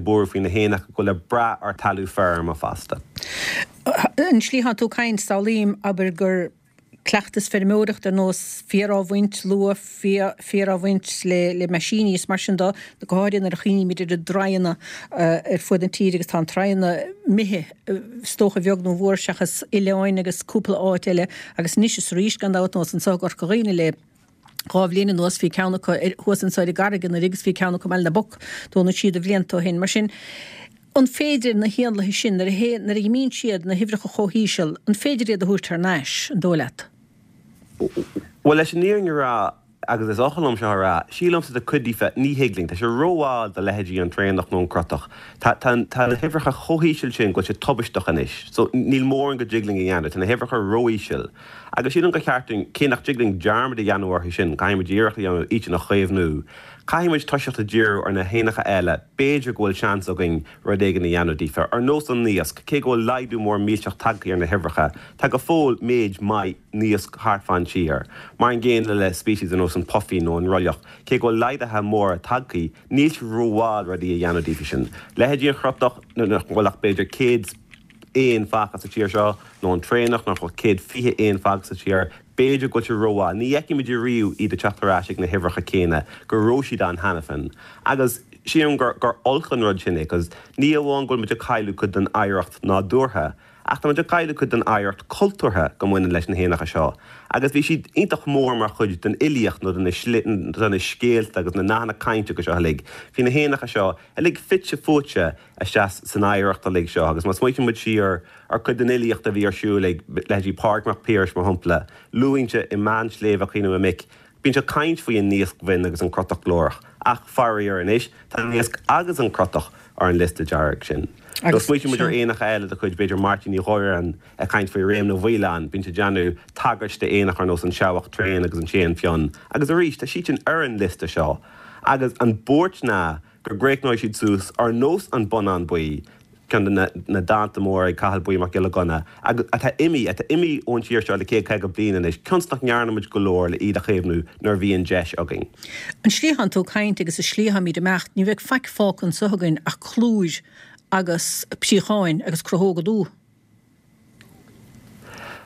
buartha faoi na héanacha go bhfuil ag brath ar talamh feirme fosta.
An slí atá tú ag caint, samhlaím, abair, gur cleachtas feirmeoireachta ar nós féar á bhaint luath, féar á bhaint le meaisíní is mar sin de, go háirithe nuair a chuimhnímid ar na draigheanna ar fud na tíre agus tá an draigheanna imithe is dócha a bheag nó a mhór seachas oileáin agus cúpla áit eile agus anois is arís gan dabht nós anseo i gCorca Dhuibhne le dhá bhliain anuas bhí ceann acu thuas anseo ar an gCarraig anuraidh agus bhí ceann acu i mBaile na bPoc Dún na Síoda blianta ó shin. Mar sin an féidir na héanlaithe sin, nuair a théann, nuair a imíonn siad, na huimhreacha chomh híseal, an féidir iad a thabhairt thar n-ais, an dóigh leat?
Bhuel, leis an fhírinne a rá, agus is oth liom seo a rá, sílimse do cuid díofa, ní thig linn. Tá sé rómhall do leithéidí an traonach nó an crotach. Tá, tá, tá na huimhreacha chomh híseal sin go bhfuil sé tubaisteach anois. So, níl mórán go dtig linn a dhéanamh. Tá na huimhreacha ró-íseal. Agus sílim gur cheart dúinn, cé nach dtig linn dearmad a dhéanamh orthu sin, caithfidh muid iarracht a dhéanamh iad sin a chaomhnú. Caithfidh muid toiseacht ag díriú ar na héanacha eile, b'fhéidir go bhfuil seans againn rud éigin a dhéanamh díofa, ar nós an naosc, cé go bhfuil laghdú mór millteach tagtha ar na huimhreacha, tá go fóill méid maith naosc thart fán tír. Mar an gcéanna le species ar nós an puifín nó an roilleach, cé go bhfuil laghduithe móra tagtha, níl sé rómhall rudaí a dhéanamh díofa sin. Leithéidí an chrotach, nach bhfuil ach b'fhéidir céad éan fágtha sa tír seo, nó an traonach, nach bhfuil céad fiche éan fágtha sa tír, b'fhéidir go bhfuil sé rómhall. Ní fheicfidh muid ariamh iad ag teacht ar ais ag na huimhreacha céanna go raibh siad ann cheana féin. Agus sílim gur gur olc an rud sin é, cos ní amháin go bhfuil muid ag cailleadh cuid den oidhreacht nádúrtha, ach tá muid ag cailleadh cuid den oidhreacht cultúrtha go mbaineann leis na héanacha seo. Agus bhí siad iontach mór mar chuid den fhilíocht nó de na de na scéalta agus na nathanna cainte agus seo uilig. Bhí na héanacha seo uilig fite fuaite isteach san oidhreacht uilig seo agus má smaoitíonn muid siar ar chuid den fhilíocht a bhí ar siúl ag leithéidí Pádraig Mac Piarais, mar shampla, luann sé i mBean Sléibhe Chaoineadh a Mic, bíonn sé ag caint faoi an naosc bhinn agus an crotach glórach ach faraor anois tá an naosc agus an crotach ar an liosta dearg sin. Nó smaoitíonn muid ar éanacha eile de chuid b'fhéidir Máirtín Uí Mhóráin ag caint faoi réim na bhfaoileán, bíonn sé ag déanamh tagairt d'éanacha ar nós an seabhac tréan agus an t-éan fionn agus arís tá siad sin ar an liosta seo agus an buairt ná go gcríochnóidh siad suas ar nós an Bonnán Buí, ceann de na dánta móra ag Cathal Buí Mac Giolla Ghunna, agus atá imithe, atá imithe ón tír seo le céad caoga bliain anois, cionn 's nach ndearna muid go leor le iad a chaomhnú nuair a bhí an deis againn.
An slí atánn tú ag caint agus an slí atáimid ag imeacht, ní bheidh faic fágtha anso againn ach clúir agus príocháin agus crothóga dubha.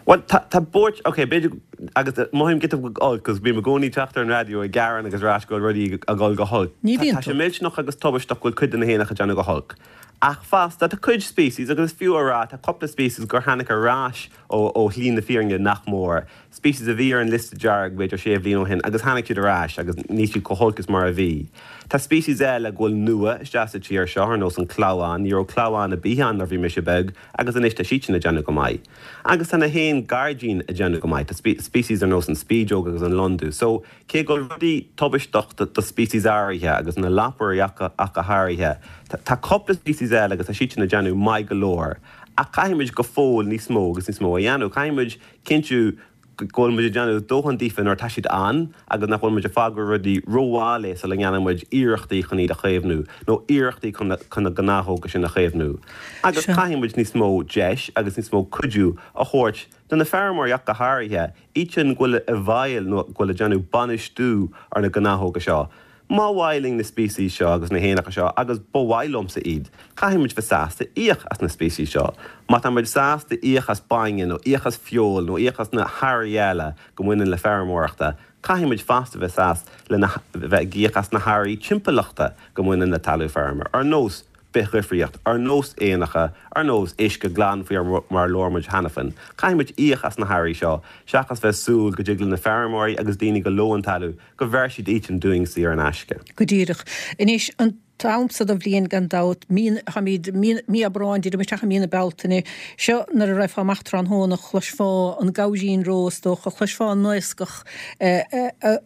Bhuel, tá, tá buairt, ok, b'fhéidir, agus mothaím giota beag olc, cos bím i gcónaí teacht ar an raidió ag gearán agus ag rá go bhfuil rudaí ag dul go holc.
Ní bhíonn
Tá sé
tú.
millteanach agus tubaisteach go bhfuil cuid de na héanacha ag déanamh go holc. Ach fosta, tá cuid species, agus is fiú a rá, tá cúpla species gur tháinig ar ais ó, ó shlí na fírinne nach mór. Species a bhí ar an liosta dearg b'fhéidir sé bhliain ó shin agus tháinig siad ar ais agus níl siad chomh holc is mar a bhí. Tá species eile go bhfuil nua isteach sa tír seo ar nós an clamhán, ní raibh clamhán ar bith ann nuair a bhí mise beag agus anois tá siad sin ag déanamh go maith. Agus tá na héin gairdín ag déanamh go maith, tá species ar nós an spideog agus an londubh. So cé go bhfuil rudaí tubaisteach do, do species áirithe agus na lapairí ach go háirithe, tá cúpla species eile agus tá siad sin ag déanamh maith go leor. Ach caithfimid go fóill níos mó agus níos mó a dhéanamh, caithfimid cinntiú go bhfuil muid ag déanamh dóthain daofa nuair atá siad ann agus nach bhfuil muid ag fágáil rudaí rómhall é sula ndéanann muid iarrachtaí chun iad a chaomhnú nó iarrachtaí chun na, chun na gnáthóga sin a chaomhnú. Agus
Sure.
caithfidh muid níos mó deis agus níos mó cuidiú a thabhairt do na feirmeoirí ach go háirithe, iad sin go bhfuil i bhfeighil nó go bhfuil ag déanamh bainistiú ar na gnáthóga seo. Má mhaith linn na species seo agus na héanacha seo agus ba mhaith liomsa iad, caithfidh muid bheith sásta íoc as na species seo. Má tá muid sásta íoc as bainne nó íoc as feoil nó íoc as na hearraí eile go mbaineann le feirmeoireachta, caithfidh muid fosta bheith sásta lena bheith ag íoc as na hearraí timpeallachta go mbaineann le talamh feirme. Ar nós bithdhifríocht, ar nós éanacha, ar nós uisce glan faoi mar labhair muid cheana féin. Caithfidh muid íoc as na hearraí seo, seachas bheith súil go dtig le na feirmeoirí agus daoine go lóan talamh go bhféadfaidh siad iad dúinn saor in aisce.
Go díreach. Anois an t-am so de bhliain gan dabht mí tháimid mí Aibreáin díreach isteach i mí na Bealtaine seo nuair a raghfá amach tráthnóna chloisfeá an gabhairín ró is dócha chloisfeá an naoscach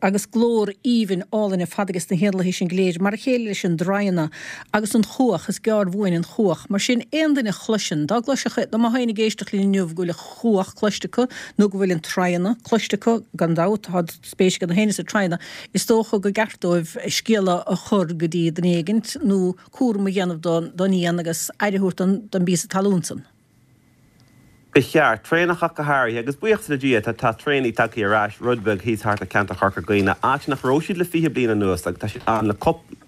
agus glór aoibhinn álainn ar fad agus na héanlaithe sin go léir mar a chéile leis an draigheanna agus an chuach is gearr bhuain an chuach mar sin aon duine a chloiseann dá gcloisfeadh dá mbeadh éinne ag éisteacht linn inniu go bhfuil an chuach cloiste acu nó go bhfuil an traigheanna cloiste acu gan dabht tá spéis ag na héinne sa traigheanna is dócha go gceart dóibh scéala a chur go dtí duine éigin nó cúram a dhéanamh don éan agus aire a thabhairt don bpíosa talún san.
Ba cheart traonach ach go háirithe agus buíochas le Dia tá tá traonaigh tagtha ar ais rud beag thíos thart ar ceantar Chorca Dhuibhne áit nach raibh siad le fiche bliain anuas agus tá siad ann le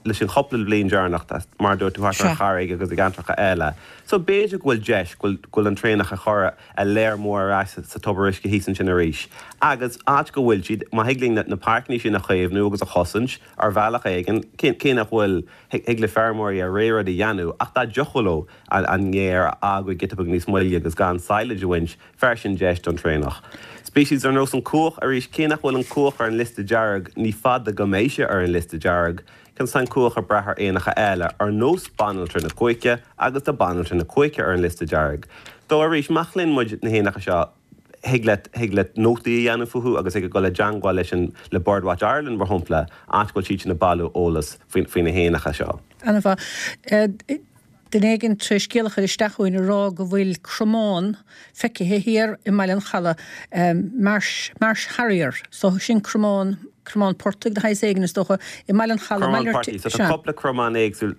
leis an chúpla bliain deireanach mar dúirt tú thart ar an Charraig agus i gceantracha eile. So b'fhéidir go bhfuil deis go bhfuil an traonach a chur a léir mór ar ais sa tobar uisce thíos ansin arís. Agus áit go bhfuil siad má thig linn na páirceanna sin a chaomhnú agus a chosaint ar bhealach éigin cé nach bhfuil thig le feirmeoirí a ré rud a dhéanamh ach dá dtiocfadh leo an fhéar a fhágáil giota beag níos moille agus gan silage a bhaint fearr sin deis don traonach. Species ar nós an cuach arís cé nach bhfuil an cuach ar an liosta dearg ní fada go mbeidh sé ar an liosta dearg, Cionn is tá an cuach ag brath ar éanacha eile ar nós banaltra na cuaiche agus tá banaltra na cuaiche ar an liosta dearg. Dó arís má chluin muid na héanacha seo thig le thig le nótaí a dhéanamh fúthu agus ag dul i dteagmháil leis an le Birdwatch Ireland mar shampla áit go bhfuil siad sin ag bailiú eolas faoi faoi na héanacha seo.
An-mhaith. Duine éigin tar éis scéal a chur isteach chugainn a rá go bhfuil cromán feicthe thiar i mBaile an Chalaidh, Marsh, Marsh Harrier, so sin cromán, cromán portaigh de shaghas éigin is dócha, i mBaile an Chalaidh,
Cromán
malairt,
portaigh, so tá
sea.
cúpla cromán éagsúil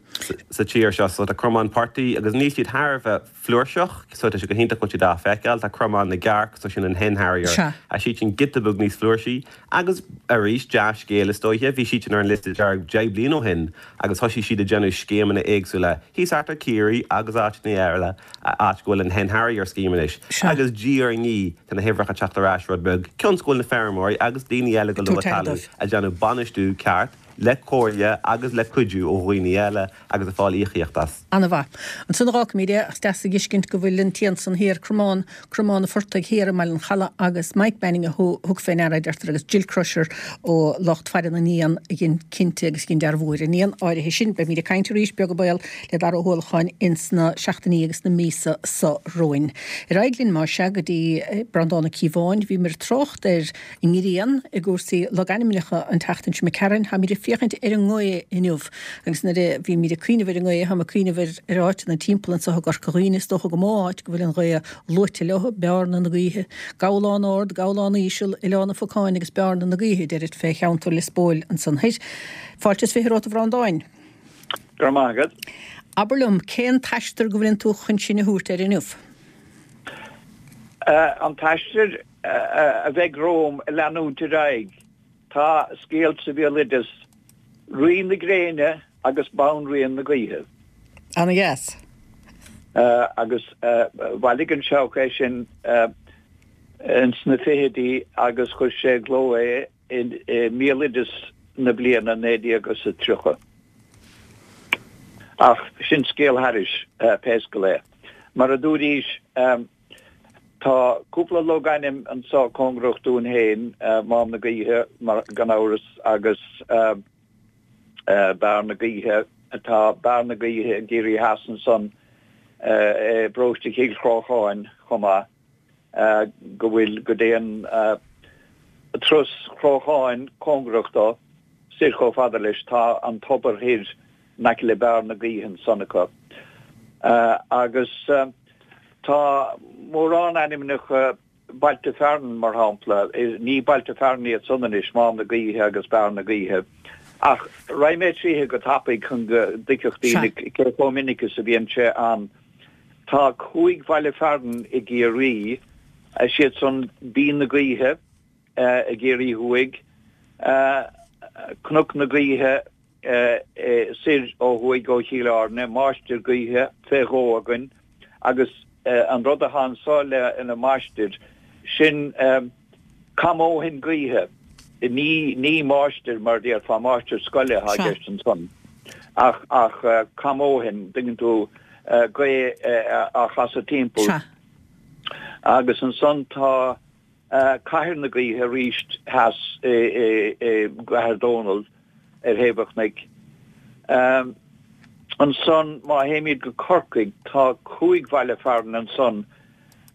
sa tír seo, so tá cromán portaigh agus níl siad thar a bheith flúirseach, so tá sé go hiontach go bhfuil siad á feiceáil, tá cromán na gcearc, so sin an hen harrier,
Sea.
tá siad sin giota beag níos flúirsí agus arís dea-scéal is dóiche, bhí siad sin ar an liosta dearg deich bliain ó shin agus thosaigh siad ag déanamh scéimeanna éagsúla thíos thart ar Ciarraí agus áiteanna eile, áit go bhfuil an hen harrier scheme anois.
Sea.
Agus diaidh ar ndiaidh tá na huimhreacha ag teacht ar ais rud beag, cionn is go bhfuil na feirmeoirí agus daoine eile go
Ag
luath
tabhairt aire
talamh
dóibh.
ag déanamh bainistiú ceart le comhairle agus le cuidiú ó dhaoine eile agus ag fáil íocaíocht as.
An-mhaith. Ansan a dh'fhágfaimid é, ach is deas a dh'fheiscint go bhfuil an t-éan san thiar, cromán, cromán an phortaigh thiar i mBaile an Chalaidh agus Mike Manning a thug fé ndeara, a deirtear, agus Jill Crusher ó lucht faire na n-éan a dhein cinnte agus a dhein dearbhú ar an éan áirithe sin. Beimid ag caint arís, beag an baol, le Dara Ó hUallacháin ins na seachtainí agus na míosa so romhainn. Ar aghaidh linn, más ea, go dtí Breandán Ó Cíobháin. Bhíomar ag trácht ar an ngrian i gcúrsaí logainmneacha an tseachtain seo imigh tharainn. Táimid ag féachaint ar an ngaoth inniu agus nuair a bhímid ag cuimhneamh ar an ngaoth, táim ag cuimhneamh ar ar áiteanna timpeall anseo i gCorca Dhuibhne, is dócha go mó áit go bhfuil an ghaoth luaite leo, Bearna na Gaoithe, Gabhlán Ard, Gabhlán Íseal, Oileán an Phocáin agus Bearna na Gaoithe, deirid fé cheantar Lios Póil ansan thoir. Fáilte is fiche romhat a Bhreandáin.
Go raibh maith agat.
Abair liom, cén t-aistear go bhfuileann tú chun sinn a thabhairt air inniu?
An t-aistear a bheidh romham a leanúint ar aghaidh, tá scéal sa bhéaloideas, Rí na Gréine agus Banríon na Gaoithe.
Ana-dheas.
Agus bhailigh an Seabhac é sin ins na fichidí agus chuir sé i gcló é i mBéaloideas na bliana naoi déag agus a tríocha. Ach sin scéal thairis, pé scéal é. Mar a dúraís, tá cúpla logainm anso cóngarach dúinn féin, Mám na Gaoithe, gan amhras, agus Beár na Gaoithe, tá Beár na Gaoithe i gCiarraí Theas ansan i bparóiste Chill Chrócháin chomh maith. go bhfuil, go dtéann Turas Chrócháin cóngarach dó, soir chomh fada leis, tá an tobar thoir in aice le Beár na Gaoithe ansan acu. Agus tá mórán ainmneacha, bailte fearainn mar shampla, ní bailte fearainn iad san anois, Mám na Gaoithe agus Beár na Gaoithe, ach raghaidh mé tríothu go tapaidh chun go dtuigfeadh daoine cé chomh minic is a bhíonn sé ann. Tá cúig bhaile fearainn i gCiarraí, is iad san Binn na Gaoithe i gCiarraí Thuaidh, Cnoc na Gaoithe soir ó thuaidh ó Chill Airne, Máistir Gaoithe fé dhó againn agus an rud atá anso lena máistir, sin camóthoinn gaoithe, ní ní máistir mar a déarfá, máistir scoile atá i gceist ansan ach ach camóthoinn, dtuigeann tú. gaoth á chasadh timpeall.
Sea.
Agus ansan tá Cathair na Gaoithe arís theas i gCathair Dónall ar thaobh an chnoic. Ansan má théimid go Corcaigh tá cúig bhaile fearainn ansan,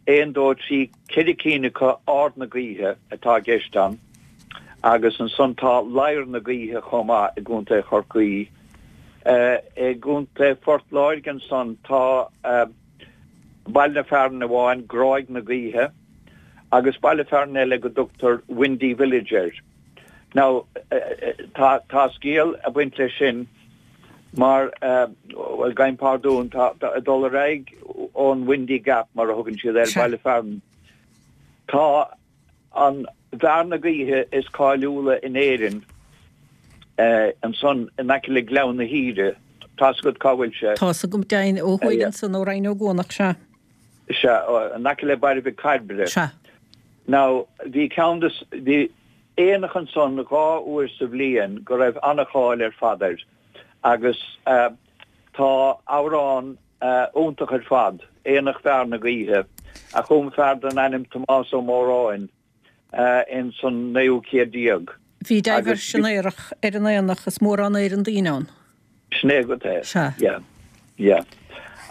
aon, dó, trí, ceithre cinn acu Ard na Gaoithe atá i gceist ann agus ansan tá Ladhar na Gaoithe chomh maith i gContae Chorcaí. I gContae Phort Láirge ansan tá baile fearainn amháin, Gráig na Gaoithe, agus baile fearainn eile go dtugtar Windy Village air. Now, tá tá scéal ag baint leis sin mar, bhuel, gabhaim pardún, tá ag dul ar aghaidh ón Windy Gap mar a thugann siad air, baile fearainn, tá an bhearna gaoithe is cáiliúla in Éirinn ansan in aice le Gleann na hÍde. Tá's agat cá bhfuil sé?
Tá's agam, deimhin, ó thuaidh ansan ó Rinn Ó gCuanach, sea.
Sea, in aice le Baile Mhic Cairbre.
Sea.
Now, bhí ceann de, bhí aonach ansan dhá uair sa bhliain go raibh ana-cháil ar fad air agus tá amhrán iontach ar fad, Aonach Bhearna Gaoithe, a chum fear den ainm Tomás Ó Móráin ins an naoú céad déag.
Bhí deimhin san aonach ar an aonach is mórán Éireann daoine ann.
Sin é agat é.
Sea.
Yeah. Yeah.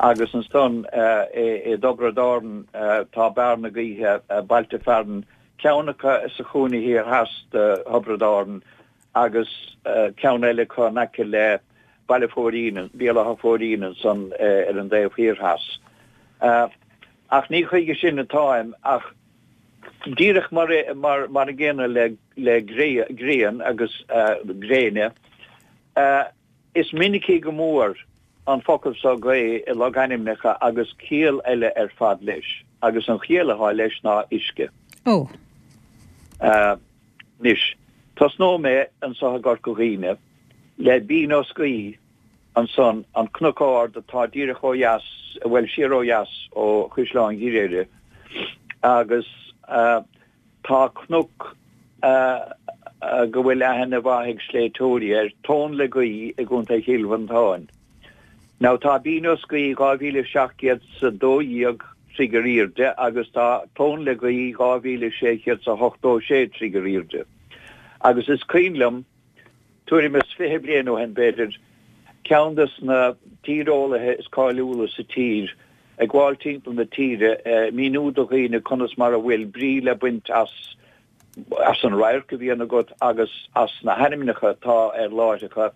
Agus ansan i dTiobraid Árann tá Beár na Gaoithe, bailte fearainn, ceann acu sa chúinne thiar theas de Thiobraid Árann agus ceann eile acu in aice le Baile Phóirín, Béal Átha Phóirín ansan ar an dtaobh thiar theas. Ach ní chuige sin atáim ach díreach mar mar mar an gcéanna le le grian agus gréine, is minicí go mór an focal so gaoth i logainmneacha agus ciall eile ar fad leis, agus an chiall atá leis ná uisce.
Ó.
Anois, tosnóidh mé anso i gCorca Dhuibhne le Binn Ó Scaoth ansan, an cnoc ard atá díreach ó dheas, bhuel, siar ó dheas ó Chaisleán Ghriaire, agus tá cnoc go bhfuil aithne mhaith ag sléibhteoirí air, Tóin le Gaoith i gContae Chill Mhantáin. Now tá Binn Ó Scaoth dhá mhíle seacht gcéad 's a dó dhéag troigh ar aoirde agus tá Tóin le Gaoith dhá mhíle sé chéad 's a hochtó sé troigh ar aoirde. Agus is cuimhin liom, tuairim is fiche bliain ó shin b'fhéidir, ceann des na tíreolaithe is cáiliúla sa tír ag gabháil timpeall na tíre ag míniú do dhaoine conas mar a bhfuil brí le baint as as an radharc a bhíonn agat agus as na hainmneacha atá ar láithreacha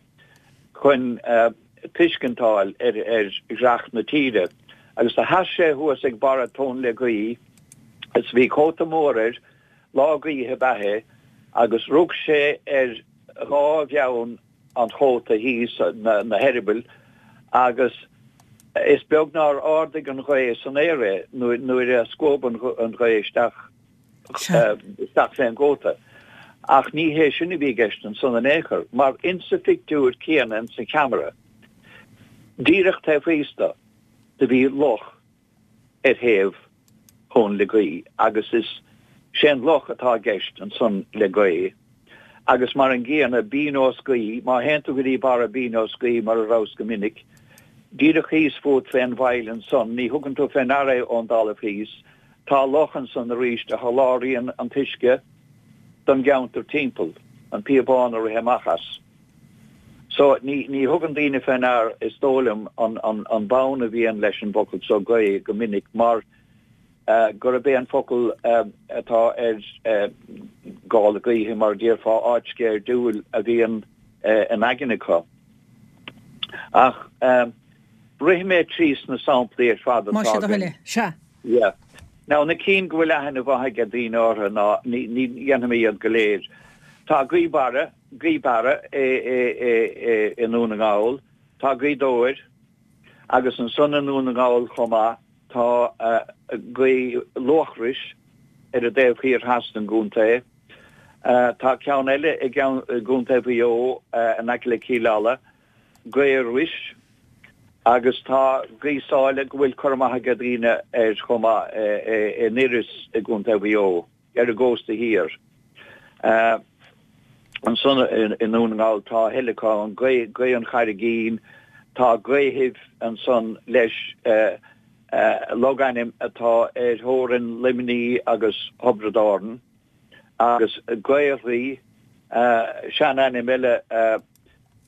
chun tuiscint a fháil ar ar dhreach na tíre. Agus do sheas sé thuas ag barra Tóin le Gaoith is bhí cóta mór air, lá gaoithe ab ea é, agus rug sé ar dhá bheann an chóta thíos, na heireabaill, agus is beag nár ardaigh an ghaoth san aer é nuair a scuab an ghaoth isteach isteach fén gcóta. Ach ní hé sin a bhí i gceist ansan in aon chor, mar insa phictiúr céanna insa cheamara, díreach taobh thíos do, do bhí loch ar thaobh Thóin le Gaoith agus is Sé an loch atá i gceist ansan le gaoth, agus mar an gcéanna Binn Ó Scaoth, má théann tú go dtí barra Binn Ó Scaoth, mar a rabhas go minic, díreach thíos fút fén bhfaill ansan, ní thugann tú fé ndeara é ón dtalamh thíos, tá loch ansan arís a sholáthraíonn an t-uisce don gceantar timpeall, an píobán a rith amach as. So, ní, ní thugann daoine fé ndear, is dóigh liom, an, an, an bonn a bhíonn leis an bhfocal so gaoth go minic mar gurb é an focal atá ar gála gaoithe, mar a déarfá, áit sceirdiúil a bhíonn in aigne acu. Ach rithfidh mé trí sna samplaí ar fad atá
Más é do
againn.
thoil é. Sea.
Yeah. Now, na cinn go bhfuil aithne mhaith ag daoine orthu ná ní ní dhéanfaidh mé iad go léir. Tá Gaoth Barra, Gaoth Beara i i i i i nDún na nGall, tá Gaoth Dobhair agus ansan i nDún na nGall chomh maith tá Gaoth Luachrais ar an dtaobh thiar theas den gcontae. Tá ceann eile i gContae Mhaigh Eo in aice le Cill Ala, Gaoth Ruis, agus tá Gaoth Sáile go bhfuil cur amach ag daoine air chomh maith in Iorras i gContae Mhaigh Eo, ar an gcósta thiar. Ansan i nDún na nGall tá a thuilleadh acu, an Gaoth an Charraigín, tá gaothaibh ansan leis, logainm atá ar theorainn Luimnigh agus Thiobraid Árann, agus Gaorthaí, seanainm eile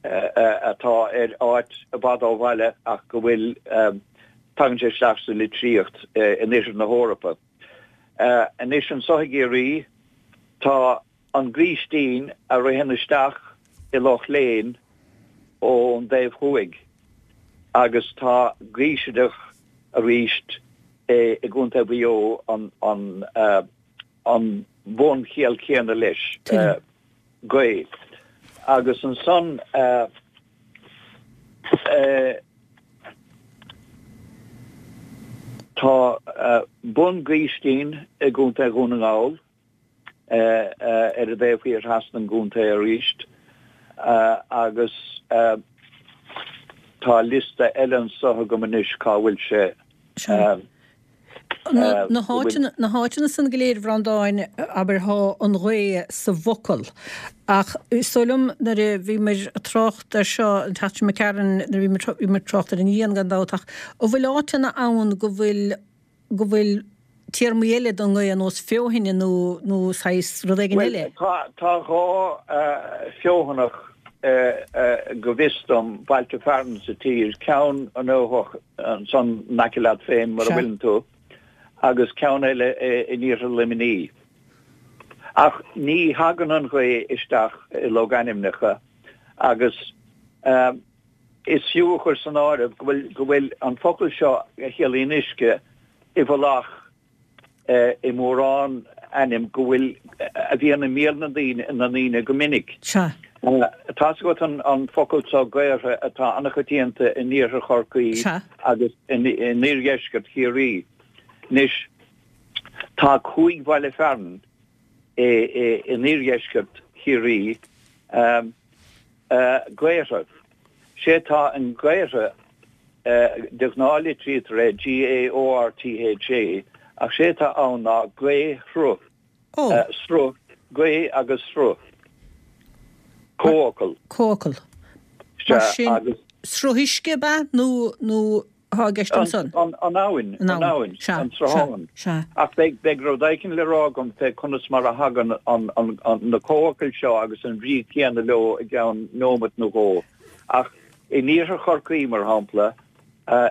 atá ar áit i bhfad ó bhaile ach go bhfuil, tagann sé isteach sa litríocht in oirthear na hEorpa. Anois anso i gCiarraí tá an Gaoistín a ritheann isteach i Loch Léin ón dtaobh thuaidh agus tá Gaoisideach arís i gContae Mhaigh Eo an an bunchiall chéanna leis, gaoth. Agus ansan tá Bun Gaoistín i gContae Dhún na nGall. ar an dtaobh thiar theas den gcontae arís agus tá liosta eile anso agam anois cá bhfuil sé.
Sea. Na háiteanna, na háiteanna san go léir, a Bhreandáin, abair, thá an ghaoth sa bhfocal. Ach is dóigh liom nuair a bhíomar ag trácht air seo an tseachtain seo imigh tharainn, nuair a bhíomar, bhíomar ag trácht ar an ghrian gan dabht ach an bhfuil áiteanna ann go bhfuil, go bhfuil téarmaí eile don ngaoth ar nós feothaine nó nó saghas rud éigin
Bhuel,
eile?
tá tá dhá feothanach go bhfios dom, bailte fearainn sa tír, ceann an Fheothach ansan in aice leat féin mar a
Sea.
bhfuileann tú, agus ceann eile in iarthar Luimnigh. Ach ní thagann an ghaoth isteach i logainmneacha agus is fiú a chur san áireamh go bhfuil go bhfuil an focal seo a chiallaíonn uisce i bhfolach i mórán ainm go bhfuil a bhíonn i mbéal na ndaoine na ndaoine go minic.
Sea.
Tá's agat an an focal seo gaortha atá an-choitianta in iarthar Chorcaí
Sea.
agus in in iardheisceart Chiarraí. Anois tá cúig bhaile fearainn i i in iardheisceart Chiarraí Gaortha. Sé atá in Gaortha, de ghnáth litrítear é G-A-O-R-T-H-A, ach sé atá ann ná gaoth-shruth, sruth, gaoth agus sruth. Comhfhocal.
Comhfhocal. Mar sin, sruth uisce ab ea nó, nó atá i gceist ansan?
An abhainn, an abhainn, an sruthán. Ach beidh, beidh rud éicint le rá agam fé conas mar a thagann an, an, na comhfhocail seo agus an bhrí chéanna leo i gceann neomat nó dhó. Ach in iarthar Chorcaí, mar shampla,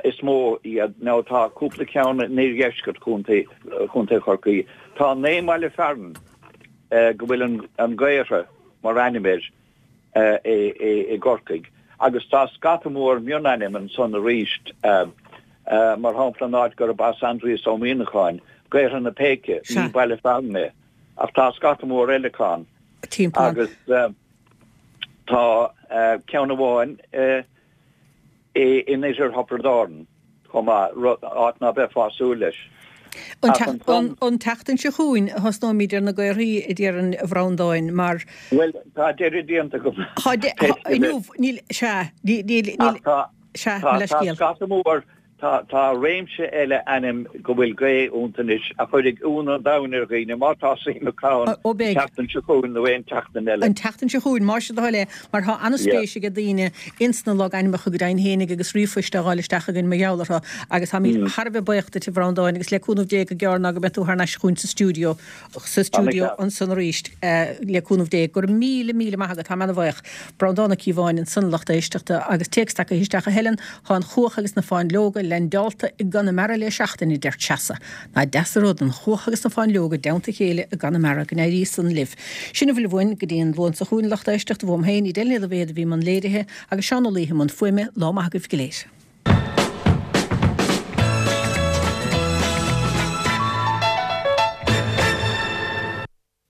is mó iad, nó tá cúpla ceann in iardheisceart chontae, chontae Chorcaí. Tá naoi mbaile fearainn go bhfuil an, an Gaortha mar ainm air. i gCorcaigh. Agus tá scata mór mionainm ansan arís, mar shampla an áit gurb as Aindrias Ó Muíneacháin, Gaortha na Péice, ní baile fearainn é, ach tá scata mór eile acu ann. Agus tá ceann amháin in oirthear Thiobraid Árann. chomh maith, rud, áit ná beifeá ag súil leis.
An
Ach ansan.
An tseachtain seo chugainn a thosnóimid ar na gaorthaí, a déarfainn, a Bhreandáin, mar.
Bhuel, tá deireadh déanta agam.
Tá, inniu, níl, sea, níl, níl,
Ach tá,
sea,
tá,
mo
tá
leithscéal.
scata mór, Tá tá réimse eile ainm go bhfuil gaoth iontu anois a chuirfidh ionadh an domhain ar dhaoine má tá suim acu ann
Ó
an
beidh.
tseachtain seo chugainn nó aon tseachtain eile.
An tseachtain seo chugainn, más é do thoil é, mar tá
Yeah.
an-spéis aige daoine ins na logainmneacha go deimhin fhéinig agus ríomhphoist á fháil isteach againn mar gheall orthu agus táimid thar a bheith buíoch duit a Bhreandáin agus le cúnamh Dé go gearr ná go mbeidh tú thar n-ais chugainn sa stiúideo sa stiúideo
Ana-cheart.
ansan arís le cúnamh Dé. Go raibh míle míle maith agat, táim ana-bhuíoch. Breandán Ó Cíobháin ansan a lucht éisteachta agus téacs tagtha isteach a Helen, Tá an chuach agus na fáinleoga leaindeálta i gConamara le seachtain, a deir Treasa. Nach deas an rud an chuach agus na fáinleoga i dteannta a chéile i gConamara, go n-éirí san libh. Sin a bhfuil uainn go dtí an Luan seo chugainn, a lucht éisteachta, uaim féin, Edel Ní Loibhéad a bhí i mbun léirithe agus Seán Ó Laoithe i mbun fuaime, lá maith agaibh go léir.